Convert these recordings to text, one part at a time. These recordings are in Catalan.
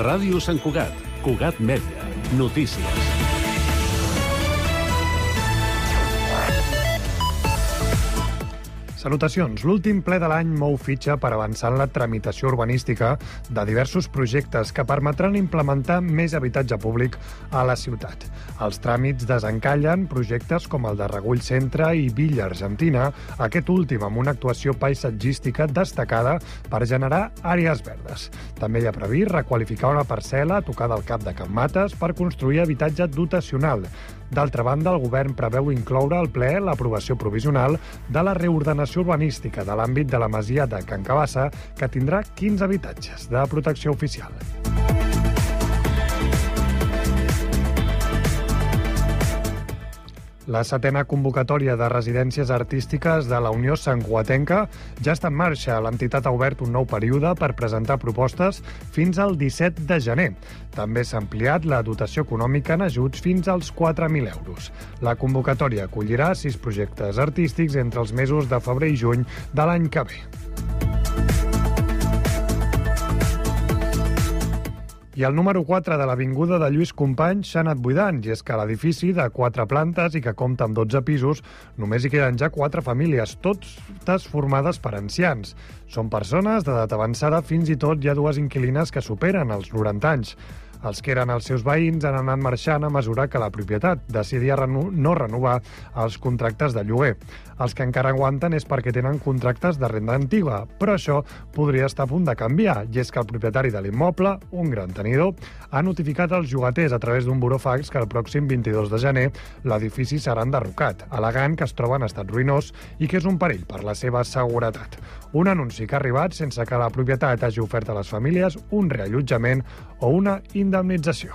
Ràdio Sant Cugat, Cugat Mèdia, notícies. Salutacions. L'últim ple de l'any mou fitxa per avançar en la tramitació urbanística de diversos projectes que permetran implementar més habitatge públic a la ciutat. Els tràmits desencallen projectes com el de Regull Centre i Villa Argentina, aquest últim amb una actuació paisatgística destacada per generar àrees verdes. També hi ha previst requalificar una parcel·la a tocar del Cap de Can Mates per construir habitatge dotacional. D'altra banda, el govern preveu incloure al ple l'aprovació provisional de la reordenació urbanística de l'àmbit de la masia de Can Cabassa, que tindrà 15 habitatges de protecció oficial. La setena convocatòria de residències artístiques de la Unió Santcugatenca ja està en marxa. L'entitat ha obert un nou període per presentar propostes fins al 17 de gener. També s'ha ampliat la dotació econòmica en ajuts fins als 4.000 euros. La convocatòria acollirà 6 projectes artístics entre els mesos de febrer i juny de l'any que ve. I el número 4 de l'Avinguda de Lluís Companys s'ha anat buidant, i és que l'edifici de 4 plantes i que compta amb 12 pisos només hi queden ja 4 famílies, totes formades per ancians. Són persones d'edat avançada, fins i tot hi ha 2 inquilines que superen els 90 anys. Els que eren els seus veïns han anat marxant a mesura que la propietat decidia no renovar els contractes de lloguer. Els que encara aguanten és perquè tenen contractes de renda antiga, però això podria estar a punt de canviar, i és que el propietari de l'immoble, un gran tenidor, ha notificat als llogaters a través d'un burofax que el pròxim 22 de gener l'edifici serà enderrocat, al·legant que es troba en estat ruïnós i que és un perill per la seva seguretat. Un anunci que ha arribat sense que la propietat hagi ofert a les famílies un reallotjament o una indemnització.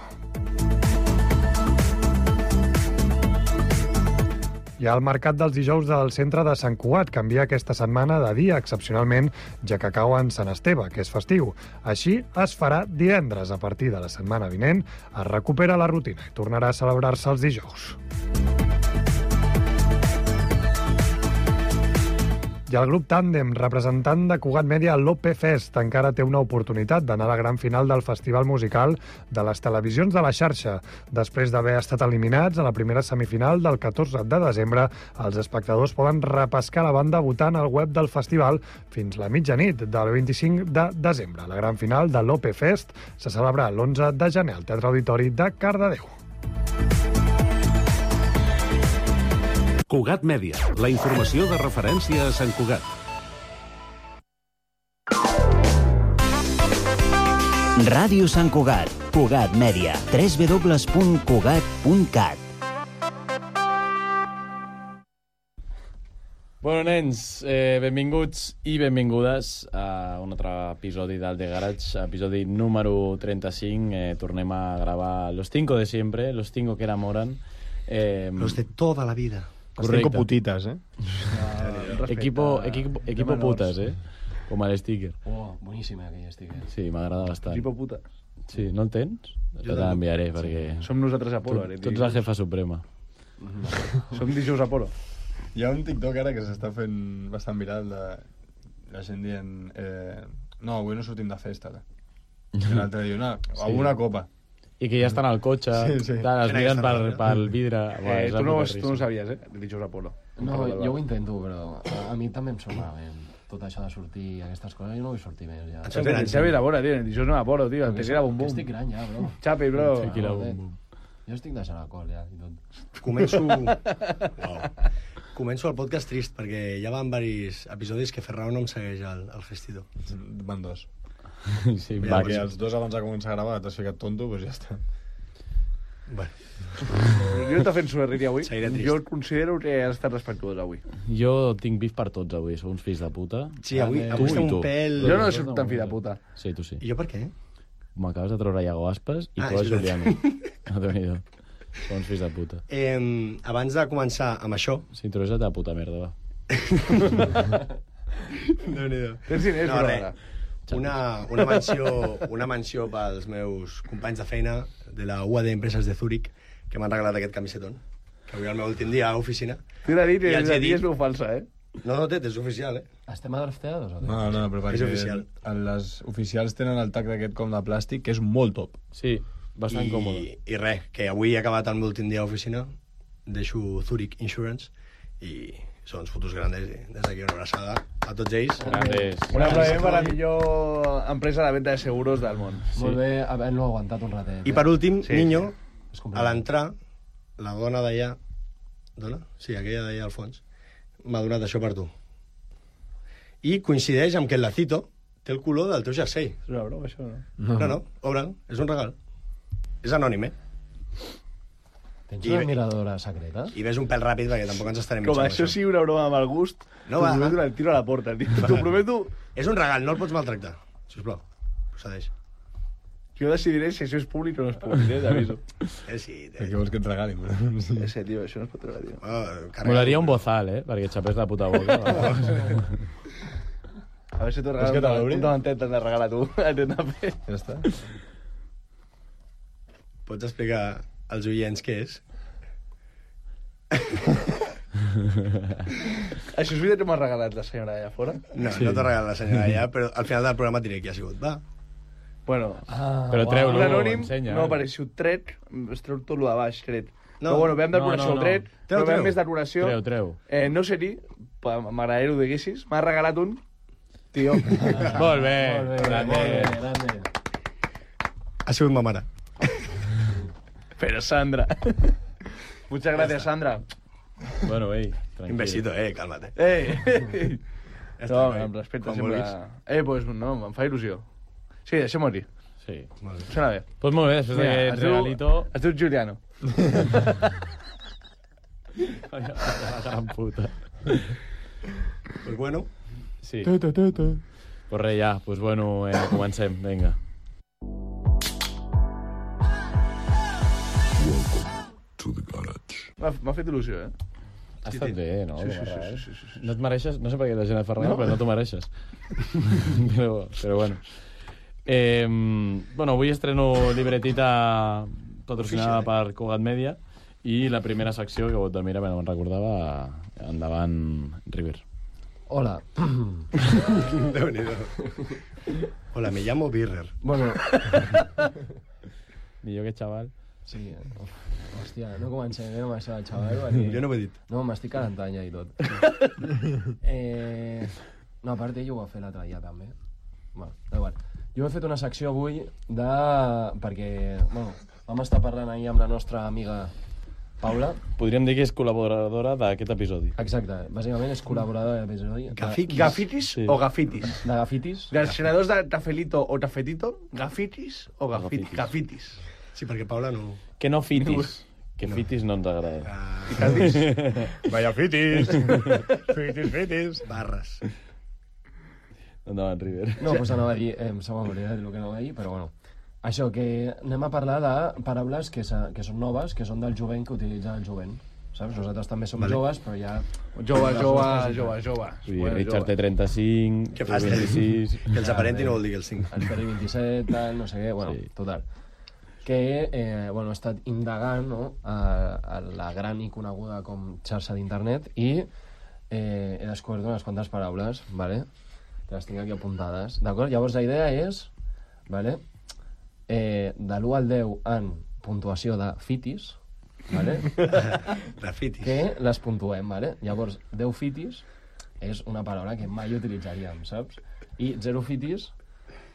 I el mercat dels dijous del centre de Sant Cugat canvia aquesta setmana de dia excepcionalment, ja que cau en Sant Esteve, que és festiu. Així es farà divendres. A partir de la setmana vinent es recupera la rutina i tornarà a celebrar-se els dijous. I el grup Tàndem, representant de Cugat Mèdia a l'OP Fest, encara té una oportunitat d'anar a la gran final del festival musical de les televisions de la xarxa. Després d'haver estat eliminats a la primera semifinal del 14 de desembre, els espectadors poden repescar la banda votant al web del festival fins la mitjanit del 25 de desembre. La gran final de l'OP Fest se celebrarà l'11 de gener al Teatre Auditori de Cardedeu. Cugat Mèdia, la informació de referència a Sant Cugat. Ràdio Sant Cugat, Cugat Mèdia, www.cugat.cat. Bueno, nens, benvinguts i benvingudes a un altre episodi del The Garage, episodi número 35. Tornem a gravar Los 5 de siempre, Los 5 que enamoran. Los de toda la vida. Los 5 putitas, Equipo putas, com el sticker. Oh, boníssim aquell sticker. Sí, m'agrada bastant. Equipo puta. Sí, no el tens? Jo te l'enviaré, perquè... Som nosaltres Apolo. Tu ets la jefa suprema. Som dijous Apolo. Hi ha un TikTok ara que s'està fent bastant viral de la gent dient no, avui no sortim de festa. I l'altre diu, no, alguna copa. I que ja estan al cotxe, sí. Es miren pel vidre. Tu no ho sabies, dijous Apolo. No, jo ho intento, però a mi també em sona tot això de sortir i aquestes coses. Jo no vull sortir més, ja. En Xavi Labora, tio, dijous no Apolo, tio, tequila bum bum. Estic gran ja, bro. Xapi, bro. Tequila bum bum. Jo estic deixant alcohol, ja, i tot. Començo el podcast trist, perquè ja van diversos episodis que Ferrao no em segueix al Gestidor. Van 2. Sí, perquè els 2 abans de començar a gravar t'has ficat tonto, doncs ja està. Bueno. Jo t'he fet suerriri avui. Jo considero que has estat respectuós avui. Jo tinc bif per tots avui, sou uns fills de puta. Sí, avui estem un pèl... Jo no soc tan fill de puta. Sí, tu sí. I jo per què? M'acabes de treure Iago Aspas i tu a Juliano. No t'ho idò. Sou uns fills de puta. Abans de començar amb això... Sí, tu eres la teva puta merda, va. Déu-n'hi-do. Tens diners, no, però ara. Una menció pels meus companys de feina de la UAD Empreses de Zúrich, que m'han regalat aquest camisetón, que avui és el meu últim dia a l'oficina. T'he de dir que és veu falsa, No, Tet, és oficial, Estem a drafteados o què? No, però perquè És oficial. les oficials tenen el tac d'aquest com de plàstic, que és molt top. Sí, bastant còmode. I res, que avui he acabat el meu últim dia a l'oficina, deixo Zurich Insurance i són uns fotos grandes i des d'aquí una abraçada a tots ells. Grandes. Un aplaudiment per la millor empresa de venda de seguros del món. Molt bé haver-lo aguantat un ratet. I per últim, Sí, Niño, És a complicat. l'entrar, la dona d'allà... Dona? Sí, aquella d'allà al fons. M'ha donat això per tu. I coincideix amb que el lacito té el color del teu jersei. És una broma, això, no? No, obre'l, és un regal. És anònim, Tens I una bé- admiradora secreta? I ves un pèl ràpid perquè tampoc ens estarem Com mitjant això sigui una broma amb el gust, No, t'ho va. prometo, el tiro a la porta, tio. T'ho prometo, És un regal, no el pots maltractar. Sisplau, procedeix. jo decidiré si això és públic o no és públic, t'aviso. Sí, Què vols que et regalin? Sí. Ese, tio, això no es pot treure, tio. Molaria un bozal, perquè xapés la puta boca. A veure si t'ho Vols que te regalo l'obri? un davantet t'han de regalar tu. Ja està. Pots explicar als oients què és? Això és veritat que m'ha regalat la senyora allà fora? No, no t'ho regala la senyora allà, però al final del programa et diré qui ha sigut. Va. Bueno, Però treu-lo, un anònim ensenya. no apareixo tret, es treu tot lo de baix, tret. No. Però bueno, veiem d'admiració No. tret, Treu, però veiem treu. més d'admiració. Treu. No sé dir, m'agradaria que ho diguessis, m'ha regalat un, tio. Molt bé. Molt bé, Grande. molt bé, grande. Ha sigut ma mare. Pero Sandra. Muchas gracias, Sandra. Bueno, ei, tranquil. Un besito, cálmate. Ja està, no, noi. amb respecte Com sempre. vulguis. Pues no, em fa il·lusió. Sí, deixem-ho dir. Sí. Sona bé. Pues molt bé, després d'aquest regalito... Es diu Giuliano. La gran puta. Pues bueno, Sí. Pues res, ja. Pues bueno, comencem. Vinga. M'ha fet il·lusió, Ha estat bé, no? Sí, sí, Com a res. sí. No et mereixes... No sé per què la gent et fa regal, però no t'ho mereixes. però bueno. Bueno, avui estreno libretita patrocinada per Cugat Media i la primera secció, que vot de mira, no me'n recordava, endavant, River. Hola. Déu-n'hi-do. Hola, me llamo Birrer. Bueno, Millor que xaval. sí, hòstia, no comencem bé amb això del xaval. Perquè... Jo no ho he dit. No, m'estic calentant ja i tot. No, a part ell ho va fer l'altre dia també. Bueno, igual. Jo he fet una secció avui de... perquè, bueno, vam estar parlant ahir amb la nostra amiga Paula. Podríem dir que és col·laboradora d'aquest episodi. Exacte, bàsicament és col·laboradora de l'episodi. Gafitis Sí. o gafitis? De Gafitis. Ganadors de tafelito o tafetito, gafitis o gafitis? Gafitis. Gafitis. Sí, perquè Paula no... Que no fitis. Que fitis no ens agrada. Vaya fitis. Fitis. Barres. Endavant, River. No, doncs anava a dir, em sembla m'hauria de dir el que anava a dir, però bueno. Això, que anem a parlar de paraules que són noves, que són del jovent, que utilitza el jovent. Saps? Nosaltres també som joves, però ja... Jove. Vull dir, Richard té 35, Què tu fas? 26... Que els aparenti no vol dir que els 5. El Peri 27, tal, no sé què, bueno, Sí. total. Que, bueno, he estat indagant, no?, a la gran i coneguda com xarxa d'internet i he descobert unes quantes paraules, ¿vale?, que les tinc aquí apuntades, d'acord? Llavors la idea és, ¿vale?, de l'1 al 10 en puntuació de fitis, ¿vale?, Grafitis. que les puntuem, ¿vale? Llavors, 10 fitis és una paraula que mai utilitzaríem, saps? I 0 fitis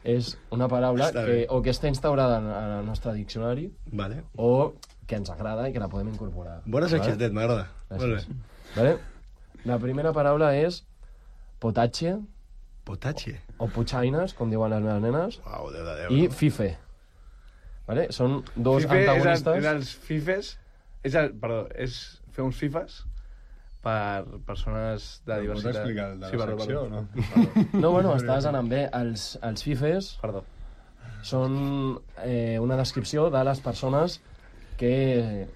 és una paraula Està que bé. o que està instaurada en el nostre diccionari Vale. o que ens agrada i que la podem incorporar. Bona secció, Tet, m'agrada. Gràcies. Molt bé. Vale? La primera paraula és potatge Potatge. o puchaines, com diuen les meves nenes, Uau, Déu de Déu. i no? fife. Vale? Són dos Fife antagonistes. és els fifes, perdó, és fer uns fifes per persones de Pots diversitat. explicar el de la Sí, perdó, secció perdó. o no? No, bueno, estàs anant bé. Els fifes Perdó. són una descripció de les persones que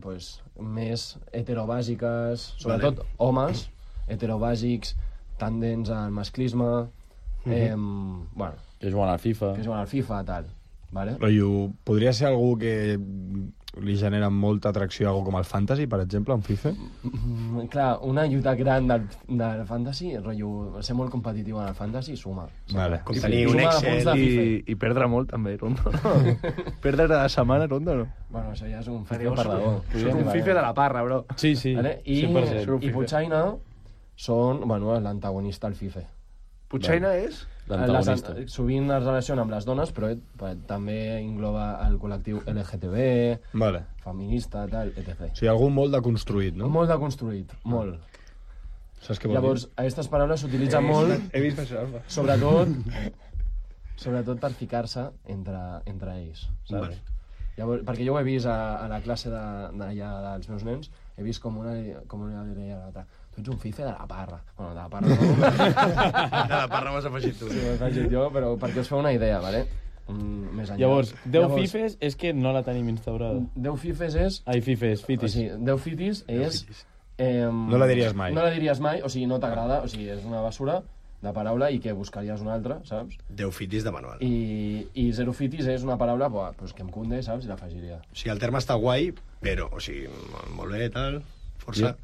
pues, més heterobàsiques, sobretot homes, heterobàsics, tendents al masclisme, bueno, Que juguen al FIFA. que juguen al FIFA, tal. Vale? Rotllo, podria ser algú que li genera molta atracció algo com el Fantasy, per exemple, un FIFA? Clar, una lluita gran del Fantasy, rotllo, ser molt competitiu en el Fantasy, suma. Vale. Com tenir un Suma Excel punts de FIFA. I perdre molt, també, Rondo. Perdre cada setmana, Rondo, no? Bueno, això ja és un FIFA Soc perdedor. un FIFA de la parra, bro. Sí, sí, Vale? I 100%. Puigcaina són, bueno, l'antagonista al FIFA. Puigcaina és? L'antagonista. Sovint es relaciona amb les dones, però també engloba el col·lectiu LGTB, Vale. feminista, tal, etc. O sigui, algú molt deconstruït, no? Molt deconstruït, molt. Saps què vol Llavors, aquestes paraules s'utilitzen molt, He vist això, Alfa. sobretot per ficar-se entre ells, saps? Vale. Llavors, perquè jo ho he vist a la classe d'allà dels meus nens, he vist com una deia a l'altra, tu ets un fife de la parra. Bueno, de la parra no. De la parra m'has afegit tu. Sí, ho he afegit jo, però perquè us feu una idea, vale? Més enllà. Llavors, 10 fifes és que no la tenim instaurada. 10 fifes és... Ai, fifes, O fitis. sigui, 10 fitis és... No la diries mai. No la diries mai, o sigui, no t'agrada, o sigui, és una basura de paraula i que buscaries una altra, saps? 10 fitis de manual. I 0 fitis és una paraula pues, que em cunde, saps? I l'afegiria. O sigui, el terme està guai, però, o sigui, molt bé, tal, força,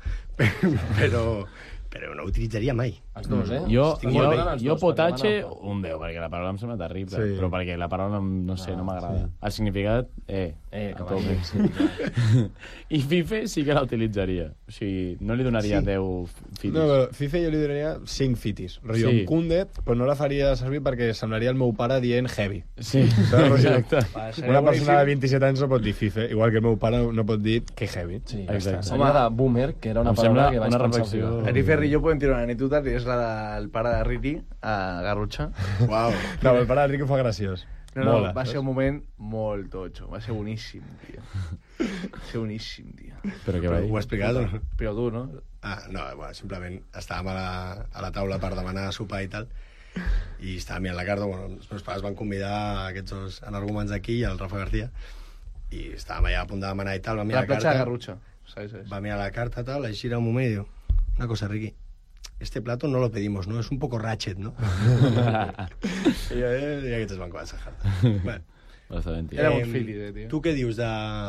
però no ho utilitzaria mai. Els dos, Jo, Estic molt bé amb els dos, potatge, perquè van un 10, perquè la paraula em sembla terrible, Sí. però perquè la paraula, no sé, no m'agrada. El significat, a cavall, tope. sí. I fife sí que la utilitzaria. O sigui, no li donaria 10 fitis. No, però FIFA jo li donaria 5 fitis. Rotllo, Sí. amb Kundet, però no la faria servir perquè semblaria el meu pare dient heavy. Sí, Saps, rotllo? exacte. Una persona de 27 anys no pot dir FIFA, igual que el meu pare no pot dir que heavy. Sí, Exacte. seria de boomer, que era una Em sembla paraula que vaig una pensar reflexió. ficar. Eri Ferri i jo podem tirar una anècdota, que és la del pare de Riti, a Garrotxa. Uau. No, el pare d'Enrique ho fa graciós. No, no, Mola, va ser saps? un moment molt totxo. Va ser boníssim, tio. Va ser boníssim, tio. Però què va dir? Ho ha explicat o no? Però tu, no? Ah, no, bueno, simplement estàvem a la taula per demanar sopar i tal, i estava mirant la carta, bueno, els meus pares van convidar aquests dos energúmens aquí i el Rafa García, i estàvem allà a punt de demanar i tal, va La mirar la platja de carta, Garrotxa. ¿Sabes? va mirar la carta tal, així era un moment i diu, una cosa, Riqui, este plato no lo pedimos, ¿no? Es un poco ratchet, ¿no? I aquests van començar a jartar. Bueno, Bastant, tio. Era un fitis, tio. tu què dius de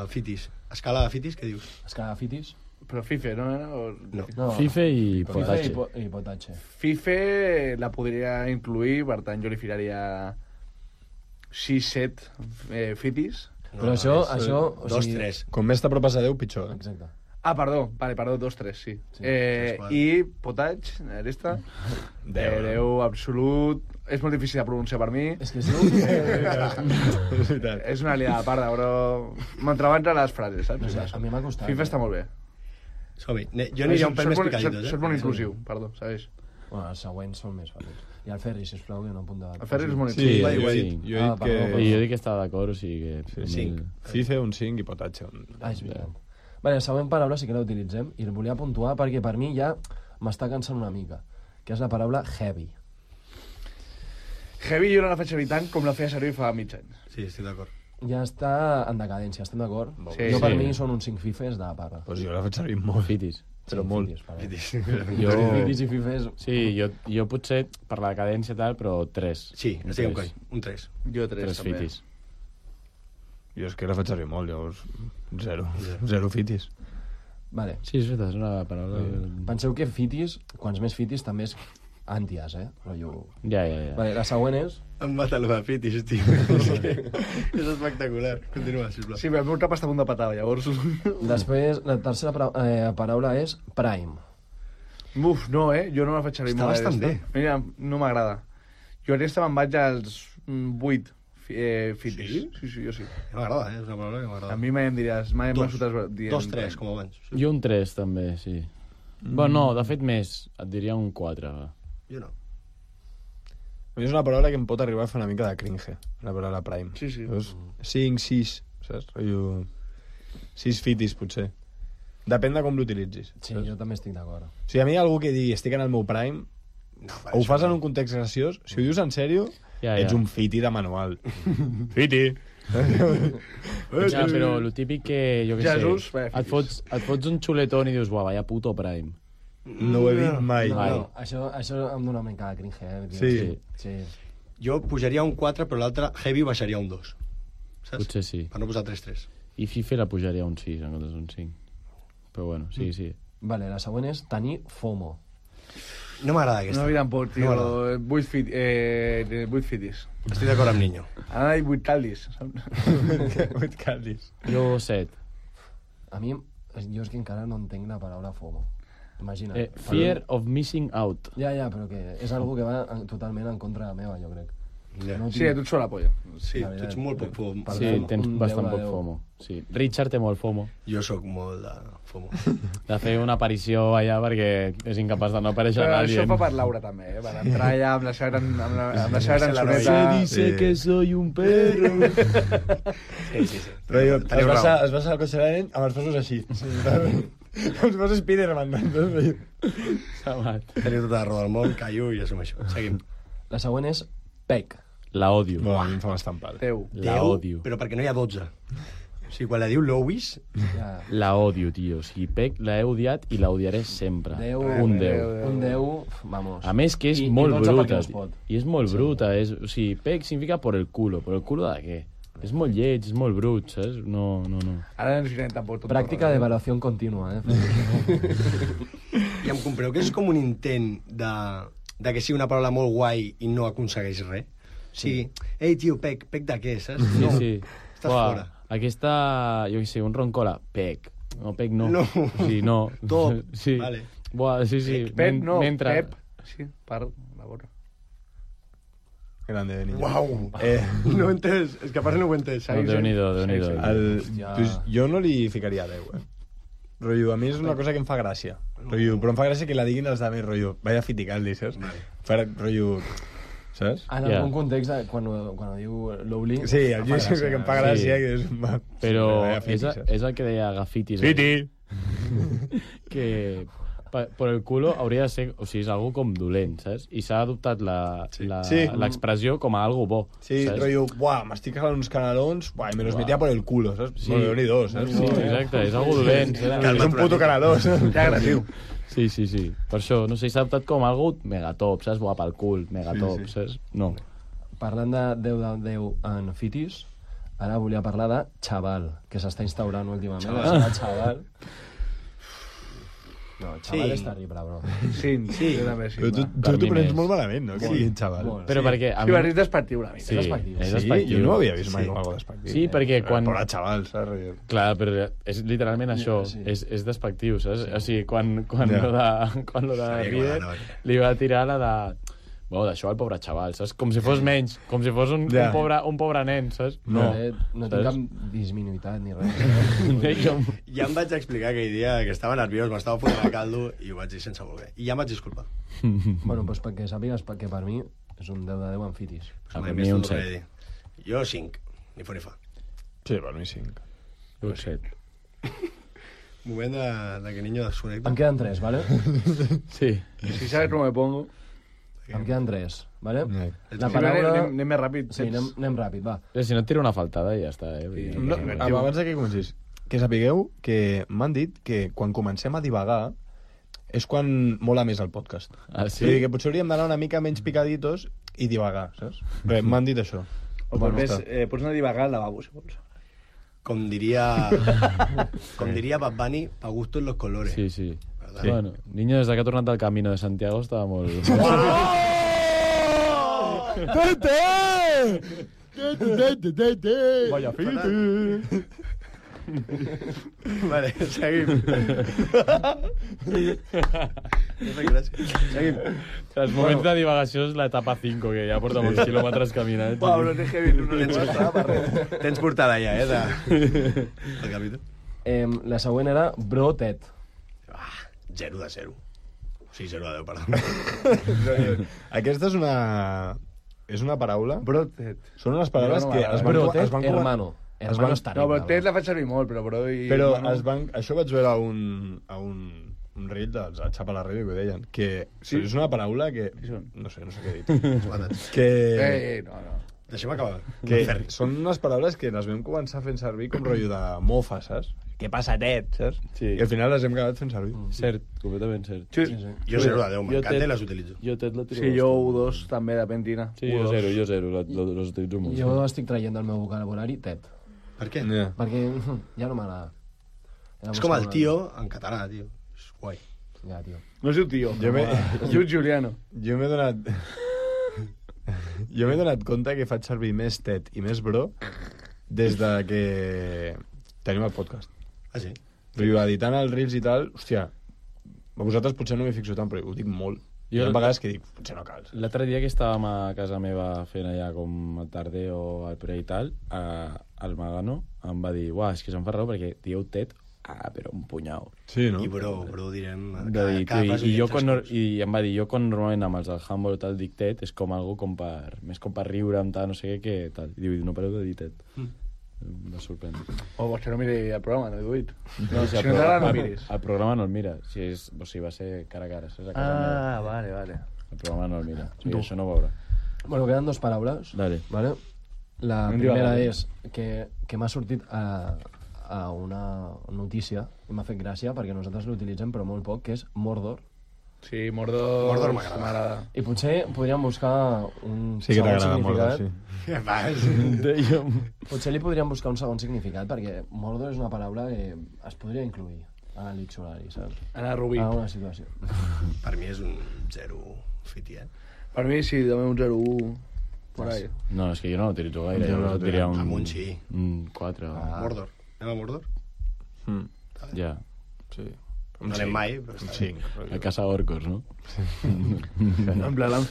fitis? Escala de fitis, què dius? Escala fitis? Però Fife, no era? No. No. Fife i Fife potatge. i potatge. Fife la podria incluir, per tant jo li ficaria 6-7 fitis. Però això... o 2, sigui- 3. Com més t'apropes a 10, pitjor. Exacte. Ah, perdó, 2-3, sí. Sí, I potatge, resta, 10 absolut. És molt difícil de pronunciar per mi. És que es diu... És veritat. És una liada parda, però m'entrebanca les frases, saps? No sé, a mi m'ha costat. FIFA està molt bé. Som-hi. Jo aniria un pèl més picaditos, Sots molt inclusiu, perdó, sabeix? Bueno, els següents són més fàcils. I el Ferri, sisplau, que no apunta... El Ferri és molt Sí, inclusiu. jo he sí. dit, jo he dit perdó, que... I jo dic que estava d'acord, o sigui que... Sí, cinc. FIFA, un 5 i potatge. Ah, és veritat. Vale, la següent paraula sí que la utilitzem i la volia puntuar perquè per mi ja m'està cansant una mica, que és la paraula heavy. Heavy jo no la faig servir tant com la feia servir fa mig any. Sí, estic d'acord. Ja està en decadència, estem d'acord? Sí, Jo per sí. mi són uns 5 fifes de parra. Pues jo la faig servir molt. Fitis. Però Sí, molt. fitis, perdó. Jo... Fitis i fifes... Sí, jo potser per la cadència tal, però 3. Sí, estic amb coi. Un 3. Jo 3 3 també. fitis. Jo és que la faig servir molt, llavors... Zero fitis. Vale. Sí, és veritat, és una paraula... Penseu que fitis, quants més fitis, també és ànties, Rotllo... Ja. Vale, la següent és... Em mata el de fitis, tio. És espectacular. Continua, sisplau. Sí, el meu cap està a punt de patar, llavors... Després, la tercera paraula és prime. Uf, no, Jo no la faig servir Està molt. bastant aquesta. Mira, no m'agrada. Jo aquesta me'n vaig als 8 fitis. Sí? Sí, jo sí. M'agrada, És una paraula que A m'agrada. mi mai em diràs, mai em Dos. vas fotre dient... 2, 3, com abans. Jo un 3, també, sí. Bueno, no, de fet més. Et diria un 4. Va. Jo no. A mi és una paraula que em pot arribar a fer una mica de cringe, la paraula prime. Sí, sí. Llavors, 5, 6, saps? Rotllo... 6 fitis, potser. Depèn de com l'utilitzis. Sí, jo també estic d'acord. O sigui, a mi algú que digui estic en el meu prime, No, o ho fas en un context graciós, si ho dius en sèrio, Ja. ets un fiti de manual. Fiti! Ja, però el típic que, jo què Jesús, sé, vaya et fots un xuletón i dius, uah, vaya puto prime. No ho he dit mai. No, Mai. no, això em dona una mica de cringe, Sí. Sí. Jo pujaria un 4, però l'altre heavy baixaria un 2. Saps? Potser sí. Per no posar 3-3. I FIFA la pujaria a un 6 en comptes d'un 5. Però bueno, sí. Vale, la següent és tenir FOMO. No m'agrada aquesta. No, tampoc, tio. No 8 fitis. Estic d'acord amb Niño. Ara hi 8 caldis. 8 caldis. Jo 7. A mi, jo és que encara no entenc la paraula FOMO. Imagina't. Fear of missing out. Ja, però que és algo que va totalment en contra meva, jo crec. Ja. No Sí, tu ets la polla. Sí, La tu veritat. ets molt poc FOMO. Per Sí, FOMO. tens Un bastant 10 de poc 10. FOMO. Sí. Richard té molt FOMO. Jo sóc molt de FOMO. De fer una aparició allà perquè és incapaç de no aparèixer Però a nadie. això fa per Laura també, Per entrar allà amb la seva gran soneta. Se dice que soy un perro. Rotllo, Teniu raó. es basa al cotxe de la nen amb els passos així. Com si fos Spiderman. Sabat. Teniu tota la raó del món, callo i assumeixo. Seguim. La següent és PEC. La odio. Bueno, a mi em fa bastant pal. Teu. La odio. Però perquè no hi ha 12. O sigui, quan la diu Lois, Ja. La odio, tio. O sigui, Peck l'he odiat i l'odiaré sempre. 10, Un 10. Un 10, vamos. A més que és I molt 12 perquè bruta. no es pot. I és molt bruta. O sigui, Peck significa por el culo. Por el culo de què? És molt lleig, és molt brut, saps? No. Ara ens girem tampoc tot. Pràctica d'evaluació contínua, i em compreu que és com un intent de que sigui una paraula molt guai i no aconsegueix res. O sigui, ei, tio, pec de què, saps? Sí, No, sí. estàs fora. Aquesta, jo què sé, un roncola, Peck. No, Peck no. No. Sí, no. Top. Sí. Vale. Buah, sí. Pep, no, Mentre... Pep. Sí, per la gorra. Grande de niño. Uau. No ho he entès. És que a part no ho he entès. No, Déu-n'hi-do. Jo no li ficaria 10, Rotllo, a mi és una cosa que em fa gràcia. Rotllo, però em fa gràcia que la diguin els altres, rotllo. Vaya fiticaldi, saps? Rotllo, saps? En Ja. algun context, quan ho diu Lowly... Sí, el jo sé que em fa gràcia, que és... Però Vaya fiti, és, saps? és el que deia Gafitis. Fiti! Que per el culo hauria de ser... O sigui, és algo com dolent, saps? I s'ha adoptat Sí. l'expressió com a algo bo. Sí, saps? rotllo, buah, m'estic cagant uns canelons, buah, i me los metía por el culo, saps? Sí. Bueno, Déu-n'hi-do, saps? Sí, exacte, és algo dolent. És un puto caneló, saps? Ja agressiu. Sí. Per això, no sé, s'ha adoptat com algo megatop, saps? Buah, pel cul, megatop, saps? No. Parlant de 10 de 10 en fitis, ara volia parlar de xaval, que s'està instaurant últimament. Xaval. No, xaval és terrible, bro. Sí, jo també sí. Però tu Per t'ho mi prens més. molt malament, no? Que diguin xaval. Molt. Però perquè... A Sí, mi... però és despectiu una mica. Sí, despectiu. és Sí, despectiu. jo no ho havia vist mai com algo despectiu. Sí, perquè quan... Però xaval, saps? Rotllo. Clar, però és literalment això, Sí. és despectiu, saps? O sigui, quan Ja. lo de Sabia que Rieder m'anava. li va tirar la de... Bueno, d'això al pobre xaval, saps? Com si fos menys, com si fos un Ja. pobre nen, saps? No No. tinc cap disminuïtat ni res. Ja em vaig explicar aquell dia que estava nerviós, m'estava fotent el caldo i ho vaig dir sense voler. I ja em vaig disculpar. Bueno, doncs perquè sàpigues que per mi és un 10 de 10 en fitis. A Mai mi més un t'ho tornaré 7. a dir. Jo 5, ni fa ni fa. Sí, per mi 5. Un 7. Moment de que Niño desconnecta. Em queden 3, ¿vale? Sí. Si sabes com me pongo... Em queden 3, ¿vale? La Sí, paraula... anem més ràpid. Sí, anem ràpid, va. Si no et tira una faltada ja està, No, abans que comencis, que sapigueu que m'han dit que quan comencem a divagar és quan mola més el podcast. Ah, Sí? Vull dir que potser hauríem d'anar una mica menys picaditos i divagar, saps? Res, m'han dit això. O Bueno, pots està. anar a divagar al lavabo, si vols. Com diria Bad Bunny, pa gustos los colores. Sí, sí. ¿Verdad? Bueno, niño, des que ha tornat del Camino de Santiago estava molt... Vaya Vale, seguim. Seguim. Els moments de divagació és l'etapa 5, que ja porta molts quilòmetres caminant. Pablo, no heavy, no Tens portada ja, el capítol. La següent era Bro Ted. 0 de 0. Sí, 0 de 10, perdó. Aquesta és una paraula... Brotet. Són unes paraules Jo no que m'agrada. es Bro van... Ted, es van hermano. Hermano està No, terrible. però Ted la faig servir molt, però bro i... Però hermano- això vaig veure a un reel dels Xapa la Ràdio que ho deien, que Sí? és una paraula que... Qui són? No sé què he dit. que no. Deixem acabar. que són unes paraules que les vam començar fent servir com rotllo de mofa, saps? Què passa, Ted, saps? Sí. I al final les hem acabat fent servir. Cert, completament cert. Sí, Jo 0 de 10, m'encanta Ted- i les utilitzo. Jo Ted la tiro sí jo bastant. 1-2 també, depèn quina. Sí, jo 0, los utilitzo molt. Jo estic traient del meu vocabulari Ted. Per què? Perquè ja no m'agrada. És com el tio en català, tio. És guai. Ja, tio. No es diu tio. Es diu Giuliano. Jo m'he donat... Jo m'he donat compte que faig servir més tet i més bro des de que tenim el podcast. Ah, sí? Però editant els reels i tal, hòstia, a vosaltres potser no m'hi fixo tant, però ho dic molt. Hi ha vegades que dic, potser no cal. L'altre dia que estàvem a casa meva fent allà com el tarder o el pre i tal, el Magano em va dir, uah, és que se'm fa raó perquè dieu tet, però un punyau. Sí, no? I bro direm... I em va dir, jo quan normalment amb els del handball tal dic tet, és com algo més com per riure amb tal, no sé què, que tal. I diu, no pareu de dir tet. Em sorprèn. O vols que no miri el programa, no he duit. No, si no t'agrada, no miris. El programa no el mira. O sigui, va ser cara a cara. Saps? A casa meva. Vale. El programa no el mira. O sigui, això no ho veurà. Bueno, queden dos paraules. Dale. Vale? La primera és que m'ha sortit a una notícia i m'ha fet gràcia perquè nosaltres l'utilitzem però molt poc, que és Mordor. Sí, Mordor m'agrada. I potser podríem buscar un Sí que segon t'agrada Mordor, significat. sí. Què fas? Potser li podríem buscar un segon significat perquè Mordor és una paraula que es podria incluir a l'Iccionari, saps? Anar a Rubí. A una situació. Per mi és un 0 fiti, Per mi sí, també un 0-1 por ahí. No, és que jo no l'utilitzo gaire. Jo Jo no et diria un... Amunt sí. Un 4. Mordor. Anem a Mordor? Ja. Sí. No anem mai, però està bé. A casa Orcos, no? En plan,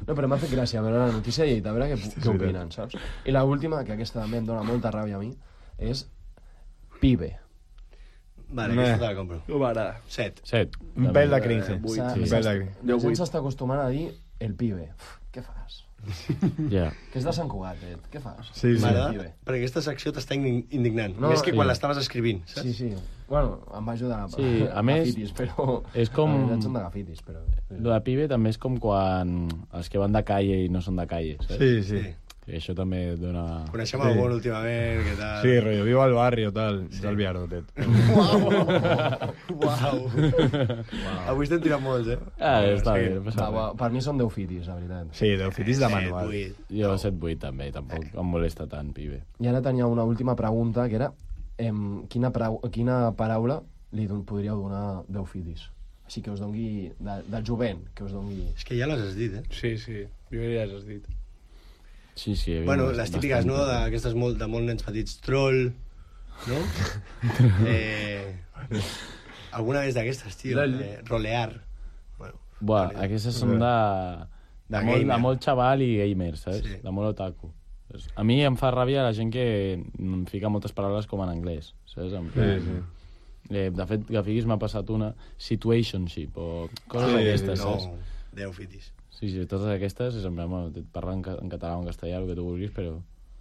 No, però m'ha fet gràcia veure la notícia i a veure què opinen, saps? I l'última, que aquesta també em dona molta ràbia a mi, és pibe. Vale, aquesta te la compro. no m'agrada. 7. 7. Un pèl de cringe. vuit, S'ha- Un s'ha- pèl de cringe. La gent s'està acostumant a dir el pibe. Què fas? Ja. Que és de Sant Cugat, què fas? Sí, sí. M'agrada pibe. perquè aquesta secció t'està indignant. No, Més que quan sí. l'estaves escrivint, saps? Sí, sí. Bueno, em va ajudar Sí, a més, gafitis, però... és com- La veritat són de gafitis, però... Lo de pibe també és com quan els que van de calle i no són de calle, saps? Sí, sí. Sí. I això també dona... Coneixem algun últimament, què tal? Sí, rotllo, viu al barri o tal. Sí. Del Viaro, tet. Uau! Avui estem tirant molts, Està bé, no passa Va, res. per mi són 10 fitis, la veritat. Sí, deu fitis de manual. 8. Jo 7-8 també, tampoc em molesta tant, pibe. I ara tenia una última pregunta, que era quina paraula li podríeu donar 10 fitis? Així que us dongui... del jovent, que us dongui... És que ja les has dit, Sí, jo ja les has dit. Sí, sí. Bueno, les típiques, no?, d'aquestes de molt nens petits. Troll, no? Alguna vez d'aquestes, tio. Rolear. Bueno, Buah, aquestes són de molt xaval i gamer, saps? Sí. De molt otaku. A mi em fa ràbia la gent que em fica moltes paraules com en anglès, saps? En plan, de fet, Gafiguis m'ha passat una situationship o coses d'aquestes, saps? no, 10 fitis. Sí, totes aquestes és en plan, bueno, et parlen en català o en castellà, el que tu vulguis, però...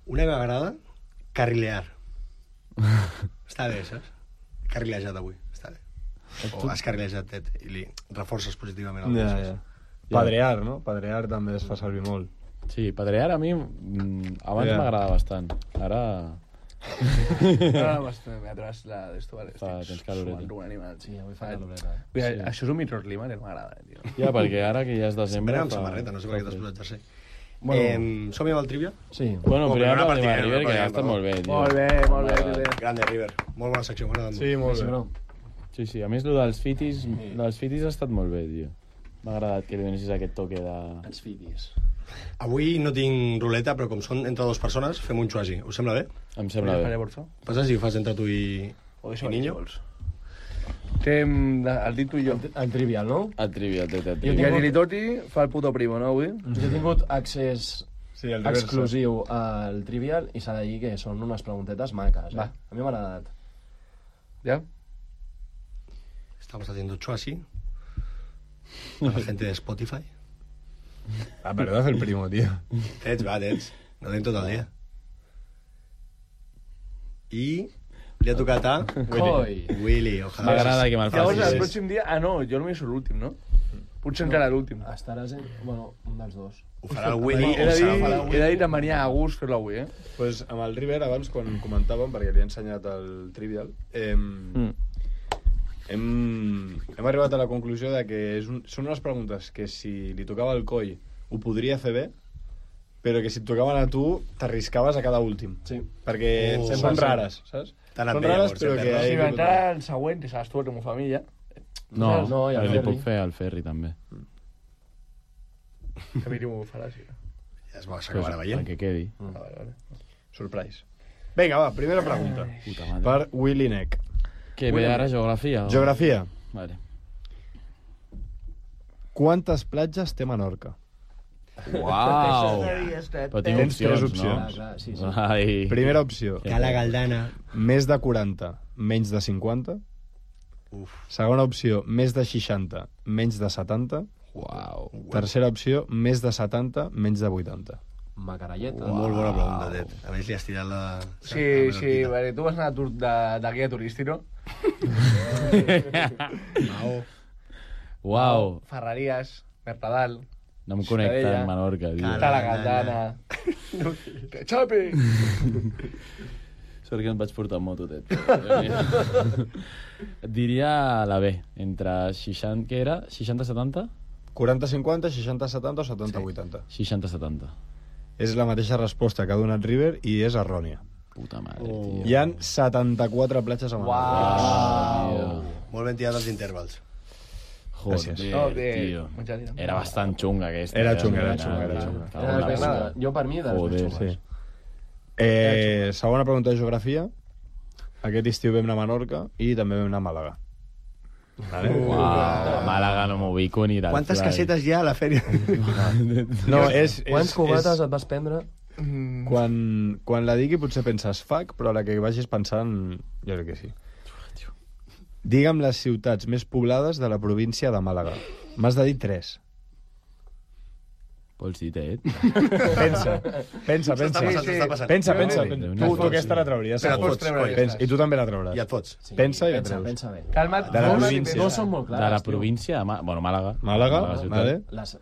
Una que m'agrada, carrilear. Està bé, saps? Carrilejat avui, està bé. O has carrilejat, Ted, i li reforces positivament el Ja, cos. ja. Padrear, no? Padrear també es fa servir molt. Sí, padrear a mi abans Ja. m'agradava bastant. Ara... Ara m'he atras la d'esto, vale. Fa temps caloreta. Sumant un animal, Sí, avui fa caloreta. Mira, això és un microclima que no m'agrada, tio. Ja, perquè ara que ja és desembre... Sempre amb fa- samarreta, no sé per què t'has posat jersei. Bueno. Som-hi amb el trivia? Sí. Bueno, Oh, primer però una partim a partida, River, una que ha partida, estat molt bé, tio. Molt bé, River. Grande, River. Molt bona secció, m'agrada molt. Sí, molt Sí, bé. bro. Sí, a més, el dels fitis ha estat molt bé, tio. M'ha agradat que li donessis aquest toque de... Els fitis. Avui no tinc ruleta, però com són entre dues persones, fem un xuasi. Us sembla bé? Em sembla bé. Passes i ho fas entre tu i Niño? El dit tu i jo. El trivial, no? El trivia, Jo I tinc- el Gilitoti fa el puto primo, no, avui? Jo he tingut accés Sí, el reverse. exclusiu al trivial i s'ha de dir que són unes preguntetes maques, Va. A mi m'ha agradat. Ja? Estamos haciendo chuasi. A la gente de Spotify. Ah, pero haz el primo, tío. Tets, va, Tets. No tenim tot el dia. I li ha tocat a Coi! Willy, ojalà. M'agrada que me'l Llavors, el facis. pròxim dia... Ah, no, jo només sóc l'últim, no? Potser encara l'últim. Estaràs en... Bueno, un dels dos. Ho farà el Willy He o de serà dir, el he de dir que em venia a gust fer-lo avui, Pues amb el River, abans, quan comentàvem, perquè li he ensenyat el Trivial, hem arribat a la conclusió de que són unes preguntes que si li tocava el coll ho podria fer bé, però que si et tocaven a tu, t'arriscaves a cada últim. Sí. Perquè són rares, saps? T'ha anat Són bé, rares, llavors, però eh, que... Pedro? Si m'entrara el següent, que seràs tu el que m'ho família. No, No, i el li Ferri. puc fer al Ferri, també. Que miri m'ho farà, sí. Ja s'acabarà veient. Perquè quedi. Vale. Surprise. Vinga, va, primera pregunta. Puta madre. Per Willy Neck. Què ve ara, geografia? O... Geografia. Vale. Quantes platges té Menorca? Uau! Però tinc Tens tres opcions, no? Clar, clar, sí, sí. Ai. Primera opció. Cala Galdana. Més de 40, menys de 50. Segona opció, més de 60, menys de 70. Uau. Tercera opció, més de 70, menys de 80. Macaralleta. Molt bona pregunta, Ted. A més, li has tirat la... Sí, vale, tu vas anar de guia turístic, no? Mao. Uau. Ferreries, Mercadal, No em connecta Ciutadella. amb Menorca, tio. Cala Galdana. Que xapi! Sort que em vaig portar moto, Ted. Et diria la B, entre 60... Què era? 60-70? 40-50, 60-70 o 70-80. 60-70. És la mateixa resposta que ha donat River i és errònia. Puta madre, tio. Hi han 74 platges a Menorca. Molt ben tirat els intervals. Joder, Gràcies. tio. Mucha tira. Era bastant xunga, aquesta. Era xunga. Era Cago en la puta. Jo, per mi, de les Joder, més xungues. Segona pregunta de geografia. Aquest estiu vam anar a Menorca i també vam anar a Màlaga. Vale? Uau, Màlaga no m'ho ubico ni del Quantes fly. casetes hi ha a la fèria? No, és... Quants cubates et vas prendre? Quan la digui potser penses fuck, però a la que vagis pensant jo crec que sí. Digue'm les ciutats més poblades de la província de Màlaga. M'has de dir 3. Vols dir, Ted? Pensa. S'està passant. Pensa. Déu-n'hi-do. Tu aquesta la trauries. Te la segur. pots treure, Pensa. aquestes. I tu també la trauràs. I et fots. Sí, Pensa i la treus. Pensa bé. Calma't. De la calma't i província. pensa. No són molt De clares, la tio. província de Bueno, Màlaga. Màlaga, ciutat. vale.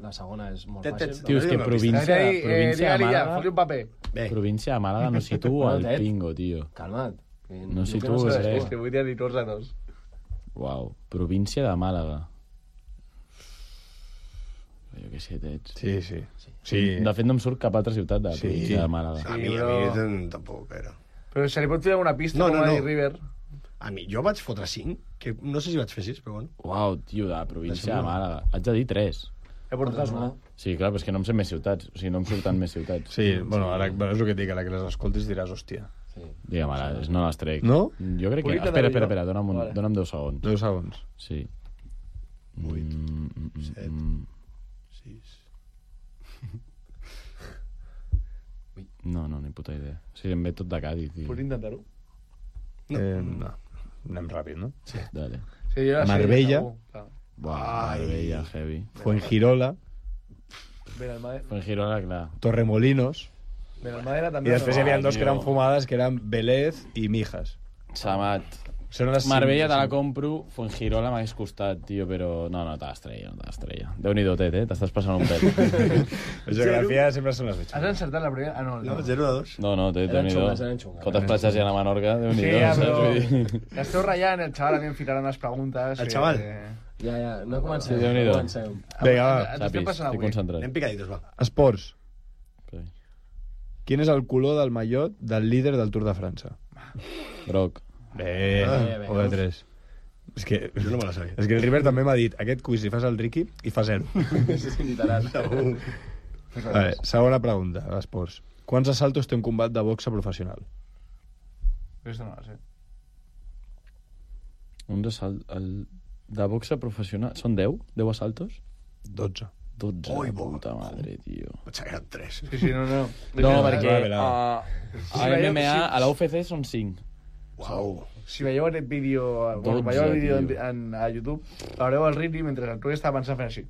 La segona és molt Ted, fàcil. Tio, és que província, província de Digue-li ja, Màlaga... fot-li un paper. Bé, Província de Màlaga no situo No, el Ted. pingo, tio. Calma't. No sé situo res. És que vull dir-li tots a tots. Uau, província de Màlaga. Jo què sé, Ted. Sí. De fet, no em surt cap altra ciutat de la Sí. província de Màlaga. a mi tampoc era. Però se li pot fer alguna pista, No, com no, va no. dir River. A mi, jo vaig fotre 5, que no sé si vaig fer 6, però bueno. Uau, tio, de la província de Màlaga. Haig de dir 3. He portat una. Sí, clar, però és que no em sé més ciutats. O sigui, no em surten més ciutats. Sí, bueno, ara és el que et dic, a la que les escoltis diràs, hòstia. Digue'm, ara, no les trec. No? Jo crec que... Polita Espera, de espera, Valló. Vale. dona'm 10 segons. 10 segons. Sí. 8, 7, 6... No, ni puta idea. O sigui, em ve tot de Cádiz, tio. Pots intentar-ho? No. Anem ràpid, no? Dale. Sí, jo la sé, Marbella. segur. Clar. Buah, Marbella, heavy. Fuengirola, Fuengirola, clar. Torremolinos, Benalmádena i també. després hi havia dos que eren tio. fumades, que eren Vélez i Mijas. Samat. Són les Marbella te la cinc. compro, Fuengirola m'hagués costat, tio, però... No, te l'estrella. Déu-n'hi-do, Tet, t'estàs passant un pet. La geografia sempre són les Has bitxes. encertat la primera? Ah, no. No, 0 de 2. No, Tet, Eren Déu-n'hi-do. xungues, eren xungues. Quantes platges hi ha a Menorca? Sí, Déu-n'hi-do, ja, saps? però... Vull dir... L'esteu ratllant, el xaval a mi em ficaran les preguntes. El xaval? Ja, no comencem. Sí, Déu-n'hi-do. No comencem. Vinga, va. Ens estem Sàpis, passant estic avui. concentrat. Anem picaditos, va. Esports. Sí. Quin és el color del mallot del líder del Tour de França? Groc. Bé, bé. o de 3. És que, Jo no me la sabia. és que el River també m'ha dit aquest quiz li fas al Ricky i fa 0. Literal. Vale, segona pregunta, esports. Quants assaltos té un combat de boxa professional? Aquesta no la sé. Un assalt... De boxa professional... Són 10? 10 assaltos? 12. 12, Ui, la bo. puta madre, tio. Potser eren 3. Sí, no. No, perquè vale, a MMA, a la UFC són 5. Uau. Si veieu aquest vídeo, bueno, 12, veieu el vídeo tio. a YouTube, veureu el Rini mentre el Tui estava pensant fent així.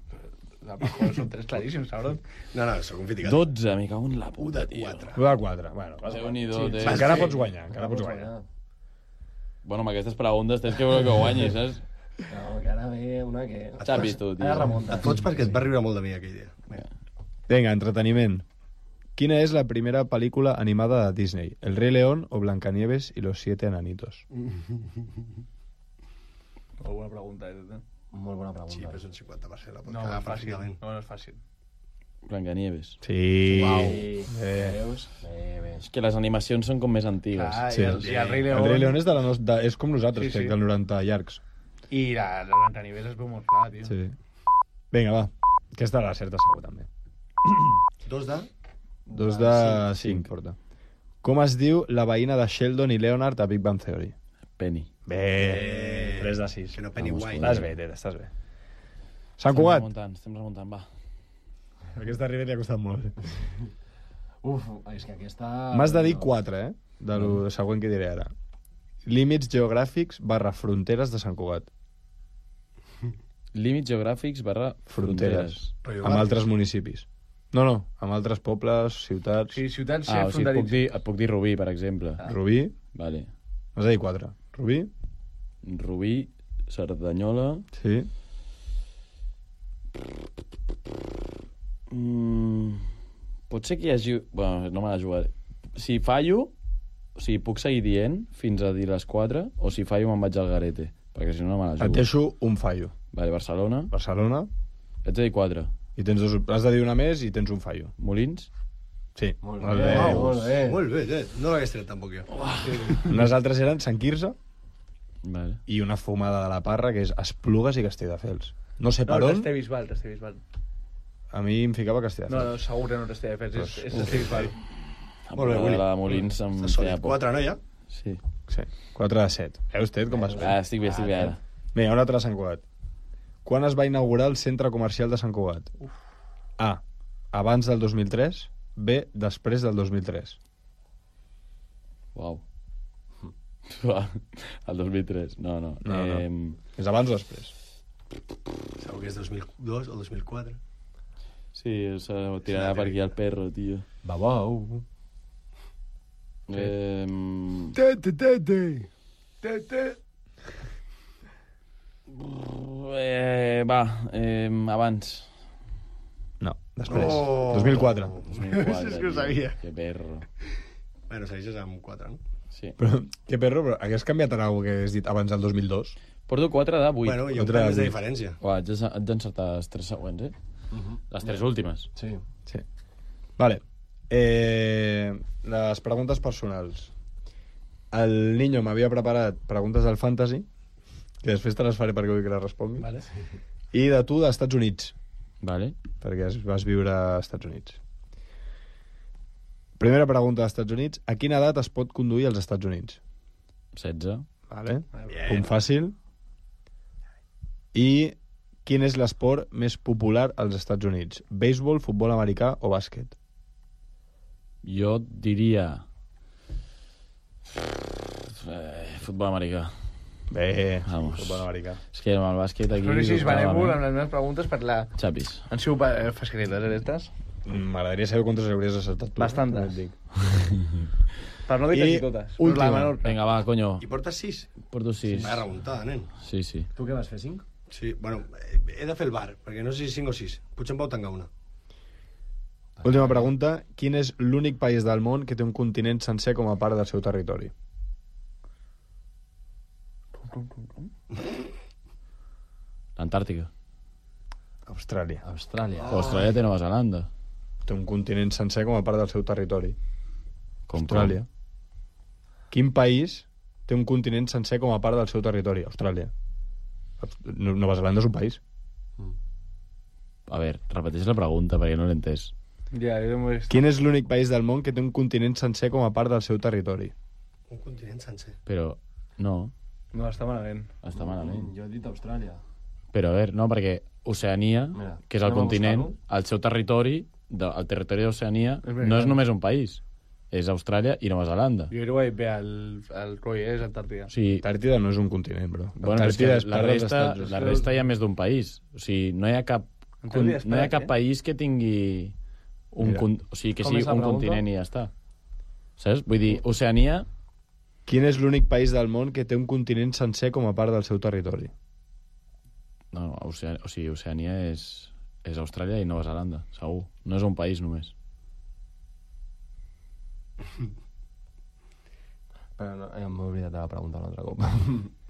Joder, són 3 claríssims, cabrón. No, sóc un fiticat. 12, me cago en la 1 puta, de tio. 4. 1 de 4. Bueno, Déu-n'hi-do, Sí, Tet. encara pots guanyar, encara pots guanyar. Bueno, amb aquestes preguntes tens que veure que guanyis, saps? No, que ara ve una que... Xapis, tu, tio. Ara remunta. Et fots perquè et va riure molt de mi aquell dia. Vinga, entreteniment. Quina és la primera pel·lícula animada de Disney? El Rei León o Blancanieves y los 7 enanitos? Molt bona pregunta, Molt bona Sí, pregunta. però és un 50%. La pot No, cagar és fàcil. perfectament. No és fàcil. Blancanieves. Sí. Veus? Bé. És que les animacions són com més antigues. Clar, Sí. i el Rei El León. Rei León és, és com nosaltres, Sí, sí. crec, del 90 llargs. I la Blancanieves es veu molt clar, tio. Sí. Vinga, va. Aquesta la certa segur, també. 2 de... 2 de 5, porta. Com es diu la veïna de Sheldon i Leonard a Big Bang Theory? Penny. Bé, 3 de 6. Que no Pennywise. Estàs bé, Ted, estàs bé. Sant Cugat. Estem remuntant, va. Aquesta arriba li ha costat molt. Uf, és que aquesta... M'has de dir 4, de lo següent que diré ara. Límits geogràfics / fronteres de Sant Cugat. Límits geogràfics / fronteres. Amb altres municipis. No, amb altres pobles, ciutats. Sí, ciutats O sigui, fronteritzes. et puc dir Rubí, per exemple. Rubí. Vale. M'has de dir 4. Rubí. Rubí, Cerdanyola... Sí. Pot ser que hi hagi... Bueno, no me la jugaré. Si fallo, o sigui, puc seguir dient fins a dir les 4, o si fallo me'n vaig al garete, perquè si no, no me la jugo. Et deixo un fallo. Vale, Barcelona. Barcelona. Ets de dir 4. I tens has de dir una més i tens un fallo. Molins? Sí. Molt Molt bé, bé. molt bé. Molt bé, Ted. No l'hagués tret tampoc jo. Unes altres eren Sant Quirze Vale. i una fumada de la Parra, que és Esplugues i Castelldefels. No sé No, per on, Castellbisbal, Castellbisbal. a mi em ficava Castelldefels. No, segur que no Castelldefels, és Castellbisbal. Molt bé, Willy. La de Molins em Estàs feia sòlid. por. 4, no, ja? Sí. Sí. 4 de 7. Veus, Ted, com vas bé? Estic bé ara. Vinga, una altra de Sant Cugat. Quan es va inaugurar el centre comercial de Sant Cugat? A. Abans del 2003. B. Després del 2003. Uau. El 2003. No. No. És abans o després? Segur que és 2002 o 2004. Sí, se tirarà per aquí el perro, tio. Babau. Abans. No, després. Oh. 2004. 2004, És que ho tio. sabia. Que perro. Bueno, segueixes amb 4, no? Sí. Però, que perro, però hagués canviat en alguna que has dit abans del 2002? Porto 4 de 8. Bueno, hi ha un Quatre pèl més de de diferència. Haig d'encertar les 3 següents, Les 3 últimes. Sí. Sí. Vale. Les preguntes personals. El Niño m'havia preparat preguntes del Fantasy, que després te les faré perquè vull que les respongui. Vale. I de tu, dels Estats Units, Vale. perquè vas viure als Estats Units. Primera pregunta dels Estats Units. A quina edat es pot conduir als Estats Units? 16. Vale. Punt fàcil. I quin és l'esport més popular als Estats Units? Béisbol, futbol americà o bàsquet? Jo diria... futbol americà. Bé, Vamos. futbol americà. És que amb el bàsquet aquí... No sé si es dubtàvem, benèvol amb les meves preguntes per la... Xapis. Han sigut fasqueriles, aquestes? M'agradaria saber quantes hauries acertat tu. Bastantes. també et dic. Per no dir I quasi totes. última. La menor. Vinga, va, conyo. I portes 6? Porto 6. Vaya remuntada, nen. Sí, sí. Tu què vas fer, 5? Sí, bueno, he de fer el bar, perquè no sé si 5 o 6. Potser em pau tancar una. Última pregunta. Quin és l'únic país del món que té un continent sencer com a part del seu territori? L'Antàrtica. Austràlia. Austràlia. Austràlia té Nova Zelanda. Té un continent sencer com a part del seu territori. Com, Austràlia. Quin país té un continent sencer com a part del seu territori? Austràlia. Nova Zelanda és un país. A veure, repeteix la pregunta perquè no l'he entès. Ja, jo m'ho he vist. Quin és l'únic país del món que té un continent sencer com a part del seu territori? Un continent sencer. Però, no, No, està malament. està malament. Jo he dit Austràlia. Però, a veure, no, perquè Oceania, Mira, que és el anem a continent, buscar-ho. el seu territori, el territori d'Oceania, És ben no és gran. només un país. És Austràlia i Nova Zelanda. Jo crec que ho he dit bé, el Roy, és Antàrtica. O sigui, Antàrtida no és un continent, bro. bueno, però és que Antàrtida és la part dels resta, Estats Units. la resta hi ha més d'un país. O sigui, no hi ha cap, Antàrtida és no hi ha part, cap país que tingui un, Mira. o sigui, que Com sigui és la un pregunta? continent i ja està. Saps? Vull dir, Oceania, Quin és l'únic país del món que té un continent sencer com a part del seu territori? no, Oceania és Austràlia i Nova Zelanda, segur. No és un país només. Però no, m'he oblidat de la pregunta un altre cop.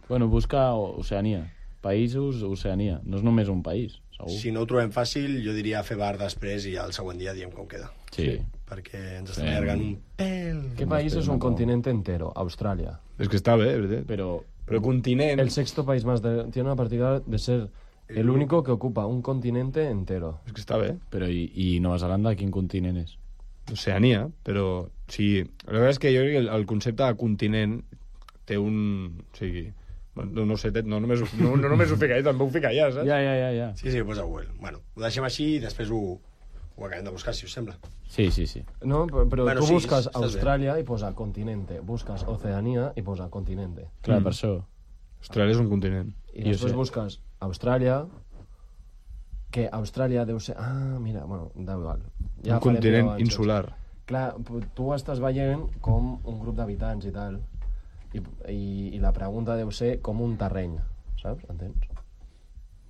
Bueno, busca Oceania. països, Oceania. No és només un país, segur. Si no ho trobem fàcil, jo diria fer bar després i el següent dia diem com queda. Sí. Perquè ens estem allargant un pèl. ¿Qué país es un continente entero? Australia. És que està bé, veritat. Però continent... El sexto país más tiene una particularidad de ser el único que ocupa un continente entero. És que està bé. Però i Nova Zelanda, quin continent és? Oceania, però... Sí, la veritat és que jo crec que el concepte de continent té un... O sigui... No sé, no només ho fica ell, també ho fica allà, saps? Ja. Sí, ho posa Google. Bueno, ho deixem així i després ho acabem de buscar, si us sembla. Sí. No, pero Bueno, tú sí, buscas estás Australia y posa continente, buscas Oceanía y posa continente. Clar, per això. Austràlia és un continent. Y después buscas Australia, que Australia deu ser... Ah, mira, bueno, da igual. Un continent insular. Clar, tu estàs veient com un grup d'habitants i tal, i la pregunta deu ser com un terreny, saps? Entens?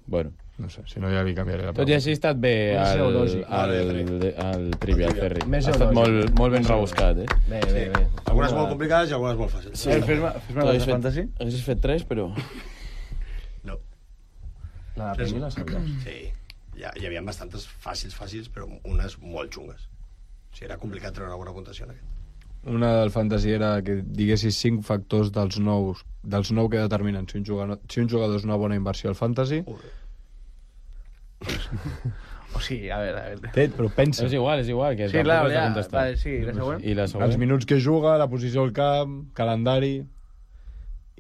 Bueno. No sé, si no ja li canviaré la Tot i així ha estat bé Més geològic. el Trivial Ferri. Més Ha estat geològic. molt ben rebuscat, eh? Bé. Algunes molt complicades i algunes molt fàcils. Sí. Fes-me la de fantasy. Haguessis fet 3, però... No. La de Penny la sabies. Sí. Hi havia bastantes fàcils, però unes molt xungues. O sigui, era complicat treure alguna puntuació en aquest. Una del fantasy era que diguessis 5 factors dels 9 que determinen si un jugador és una bona inversió al fantasy. O sigui, a veure... Però pensa. És igual. Que Sí, clar, ja. Vale, sí, la següent. I la següent? Els minuts que juga, la posició al camp, calendari...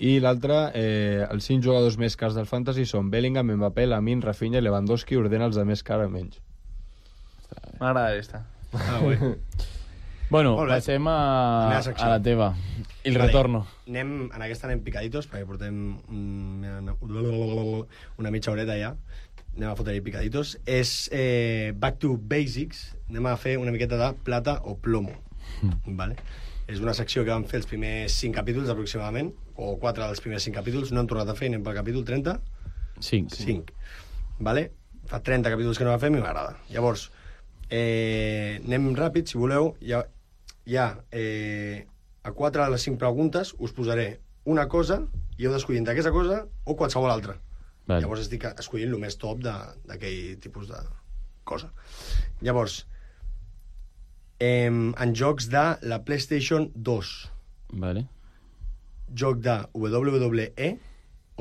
I l'altre, els 5 jugadors més cars del fantasy són Bellingham, Mbappé, Lamine, Rafinha i Lewandowski, ordena els de més car a menys. M'agrada aquesta. Bueno, Molt bé. passem Meva a secció. la teva. El retorno. En aquesta anem picaditos, perquè portem una mitja horeta ja. Anem a fotre-hi picaditos. És Back to Basics. Anem a fer una miqueta de plata o plomo. Vale? És una secció que vam fer els primers 5 capítols aproximadament, o 4 dels primers 5 capítols. No hem tornat a fer, anem pel capítol 30. 5. Vale? Fa 30 capítols que no la fem i m'agrada. Llavors, anem ràpid, si voleu. Hi ha a 4 de les 5 preguntes us posaré una cosa i heu d'escollir entre aquesta cosa o qualsevol altra. Vale. Llavors estic escollint el més top d'aquell tipus de cosa. Llavors, en jocs de la PlayStation 2, Vale. joc de WWE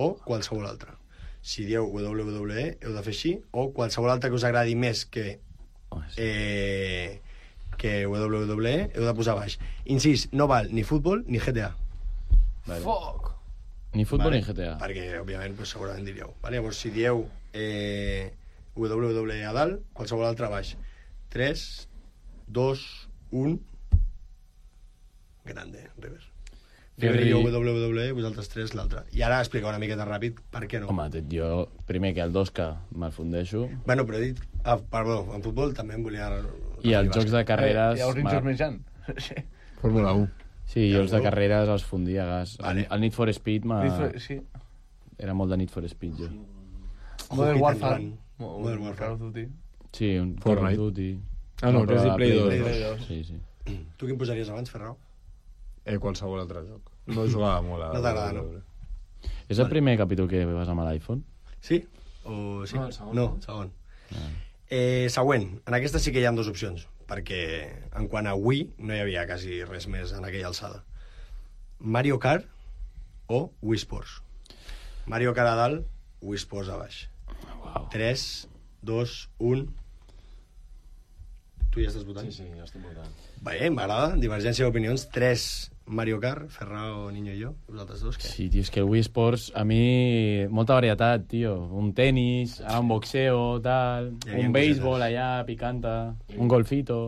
o qualsevol altra. Si dieu WWE, heu de fer així, o qualsevol altra que us agradi més que WWE, heu de posar baix. Incís, no val ni futbol ni GTA. Vale. Fuck! Ni futbol Vale? ni GTA. Perquè, òbviament, pues, segurament diríeu. Vale? Llavors, si dieu WWE a dalt, qualsevol altra a baix. 3, 2, 1... Grande, River. River i jo WWE, vosaltres 3 l'altre. I ara explicar una miqueta ràpid per què no. Home, jo primer que el 2K me'l fundeixo. Bueno, però he dit... perdó, en futbol també em volia... I els jocs de carreres... Hi ha uns rinxos menjant. Fórmula 1. Sí, jo els de carreres els fundia a gas. Vale. El Need for Speed Sí. era molt de Need for Speed, jo. Modern Hit and Warfare. Run. Modern Warfare. Call of Duty. Sí, un Call Fortnite. of Duty. Ah, no, però que és de la Play 2. Play 2. Sí. Tu quin posaries abans, Ferrao? Qualsevol altre joc. No jugava molt a... No t'agrada, no? És el primer capítol que vas amb l'iPhone? Sí? O sí? No, el segon. No, segon. Següent. En aquesta sí que hi ha 2 opcions, perquè en quant a Wii no hi havia quasi res més en aquella alçada. Mario Kart o Wii Sports. Mario Kart a dalt, Wii Sports a baix. Wow. 3, 2, 1... Tu ja estàs votant? Sí, jo estic votant. Bé, m'agrada. Divergència d'opinions. 3 Mario Kart, Ferrao, Niño i jo. Vosaltres 2, què? Sí, tio, és que el Wii Sports, a mi, molta varietat, tio. Un tenis, ara un boxeo, tal, Hi havia un béisbol cosetes. allà, picanta, un golfito.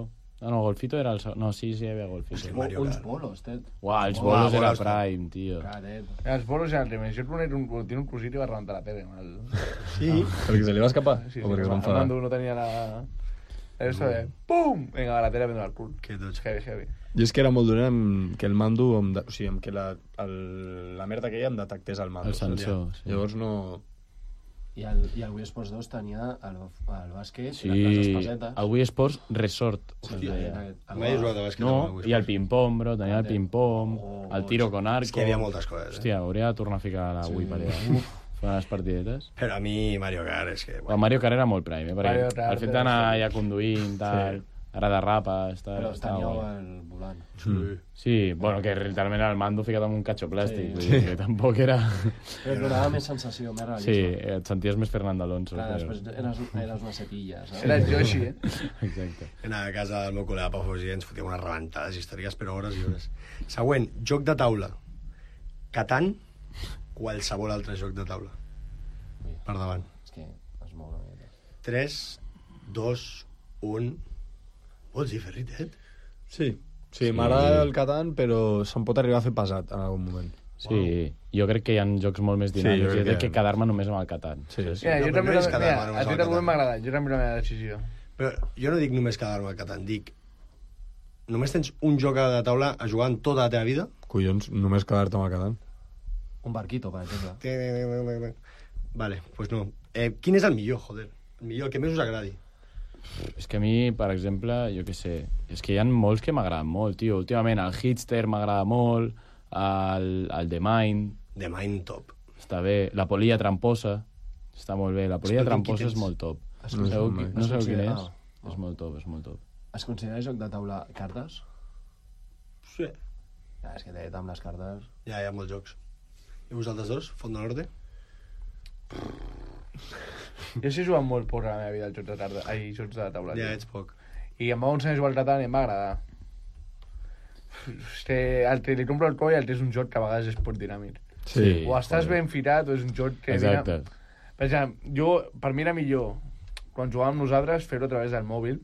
No, golfito era el... No, sí, hi havia golfito. Hòstia, Mario Uns Kart. bolos, Ted. Uau, els Uau, bolos era bolos, prime, tio. Caret. Els bolos i el remeix. Jo tiene un cosito i va rebentar la tele. Sí. Perquè se li va escapar? Sí, o perquè es va enfadar? Armando no tenia la... Eso de... ¡Pum! Venga, la tele a prendre el cul. Que tots. Heavy. Jo és que era molt dolent amb que el mando... O sigui, amb que la merda que hi ha em detectés el mando. El sensor, saps? sí. Llavors no... I el Wii Sports 2 tenia el bàsquet, Sí, les espasetes. el Wii Sports Resort. Hòstia, es deia. Mai he jugat a bàsquet. No, amb el Wii i el Sports. ping-pong, bro, tenia el ping-pong, el tiro con arco... És que hi havia moltes coses. Hòstia, hauria de tornar a ficar la Wii per allà. Jugant les partidetes. Però a mi Mario Kart és que... El Mario Kart era molt prime, perquè Mario Kart el fet d'anar ja conduint, tal, ara derrapes... Però teníeu el volant. Sí, bueno, que literalment era el mando ficat en un catxo plàstic, vull dir que tampoc era... Però et donava més sensació, més realisme. Sí, et senties més Fernando Alonso. Clar, després eres una cepilla, saps? Era Yoshi, Exacte. Anava a casa del meu col·lega Pau Fossi i ens fotíem unes rebentades històriques per hores i hores. Següent, joc de taula. Catan, qualsevol altre joc de taula. Per davant. És que es mou una mica. 3, 2, 1... Vols dir, Ferritet? Sí, m'agrada el Catan, però se'n pot arribar a fer pesat en algun moment. Sí, jo crec que hi ha jocs molt més dinàmics. Jo crec que quedar-me només amb el Catan. Sí. Ja, jo No, també... però no és quedar-me Mira, només a amb ti el també Catan. m'ha agradat, jo també la meva decisió. Però jo no dic només quedar-me al Catan, dic... Només tens un joc de taula a jugar en tota la teva vida? Collons, només quedar-te amb el Catan. Un barquito, per exemple. Vale, pues no. Quin és el millor, joder? El millor, el que més us agradi. És que a mi, per exemple, jo què sé, és que hi ha molts que m'agraden molt, tio. Últimament el Hitster m'agrada molt, el The Mind... The Mind top. Està bé. La Polia Tramposa està molt bé. La Polia Escolta, Tramposa qui és tens? molt top. No sabeu quin és? Ah. És molt top, és molt top. Es considera joc de taula cartes? Sí. Ja, és que té amb les cartes... Ja hi ha molts jocs. I vosaltres dos? Font de Norte? Jo sí he jugat molt poc a la meva vida als jocs de tarda, jocs de taula. Ja tio. ets poc. I em va ensenyar a jugar al Catan i em va agradar. És que li compro el coll i el té és un joc que a vegades és poc dinàmic. Sí. O estàs ben firat o és un joc que... Exacte. Per exemple, per mi era millor, quan jugàvem nosaltres, fer-ho a través del mòbil.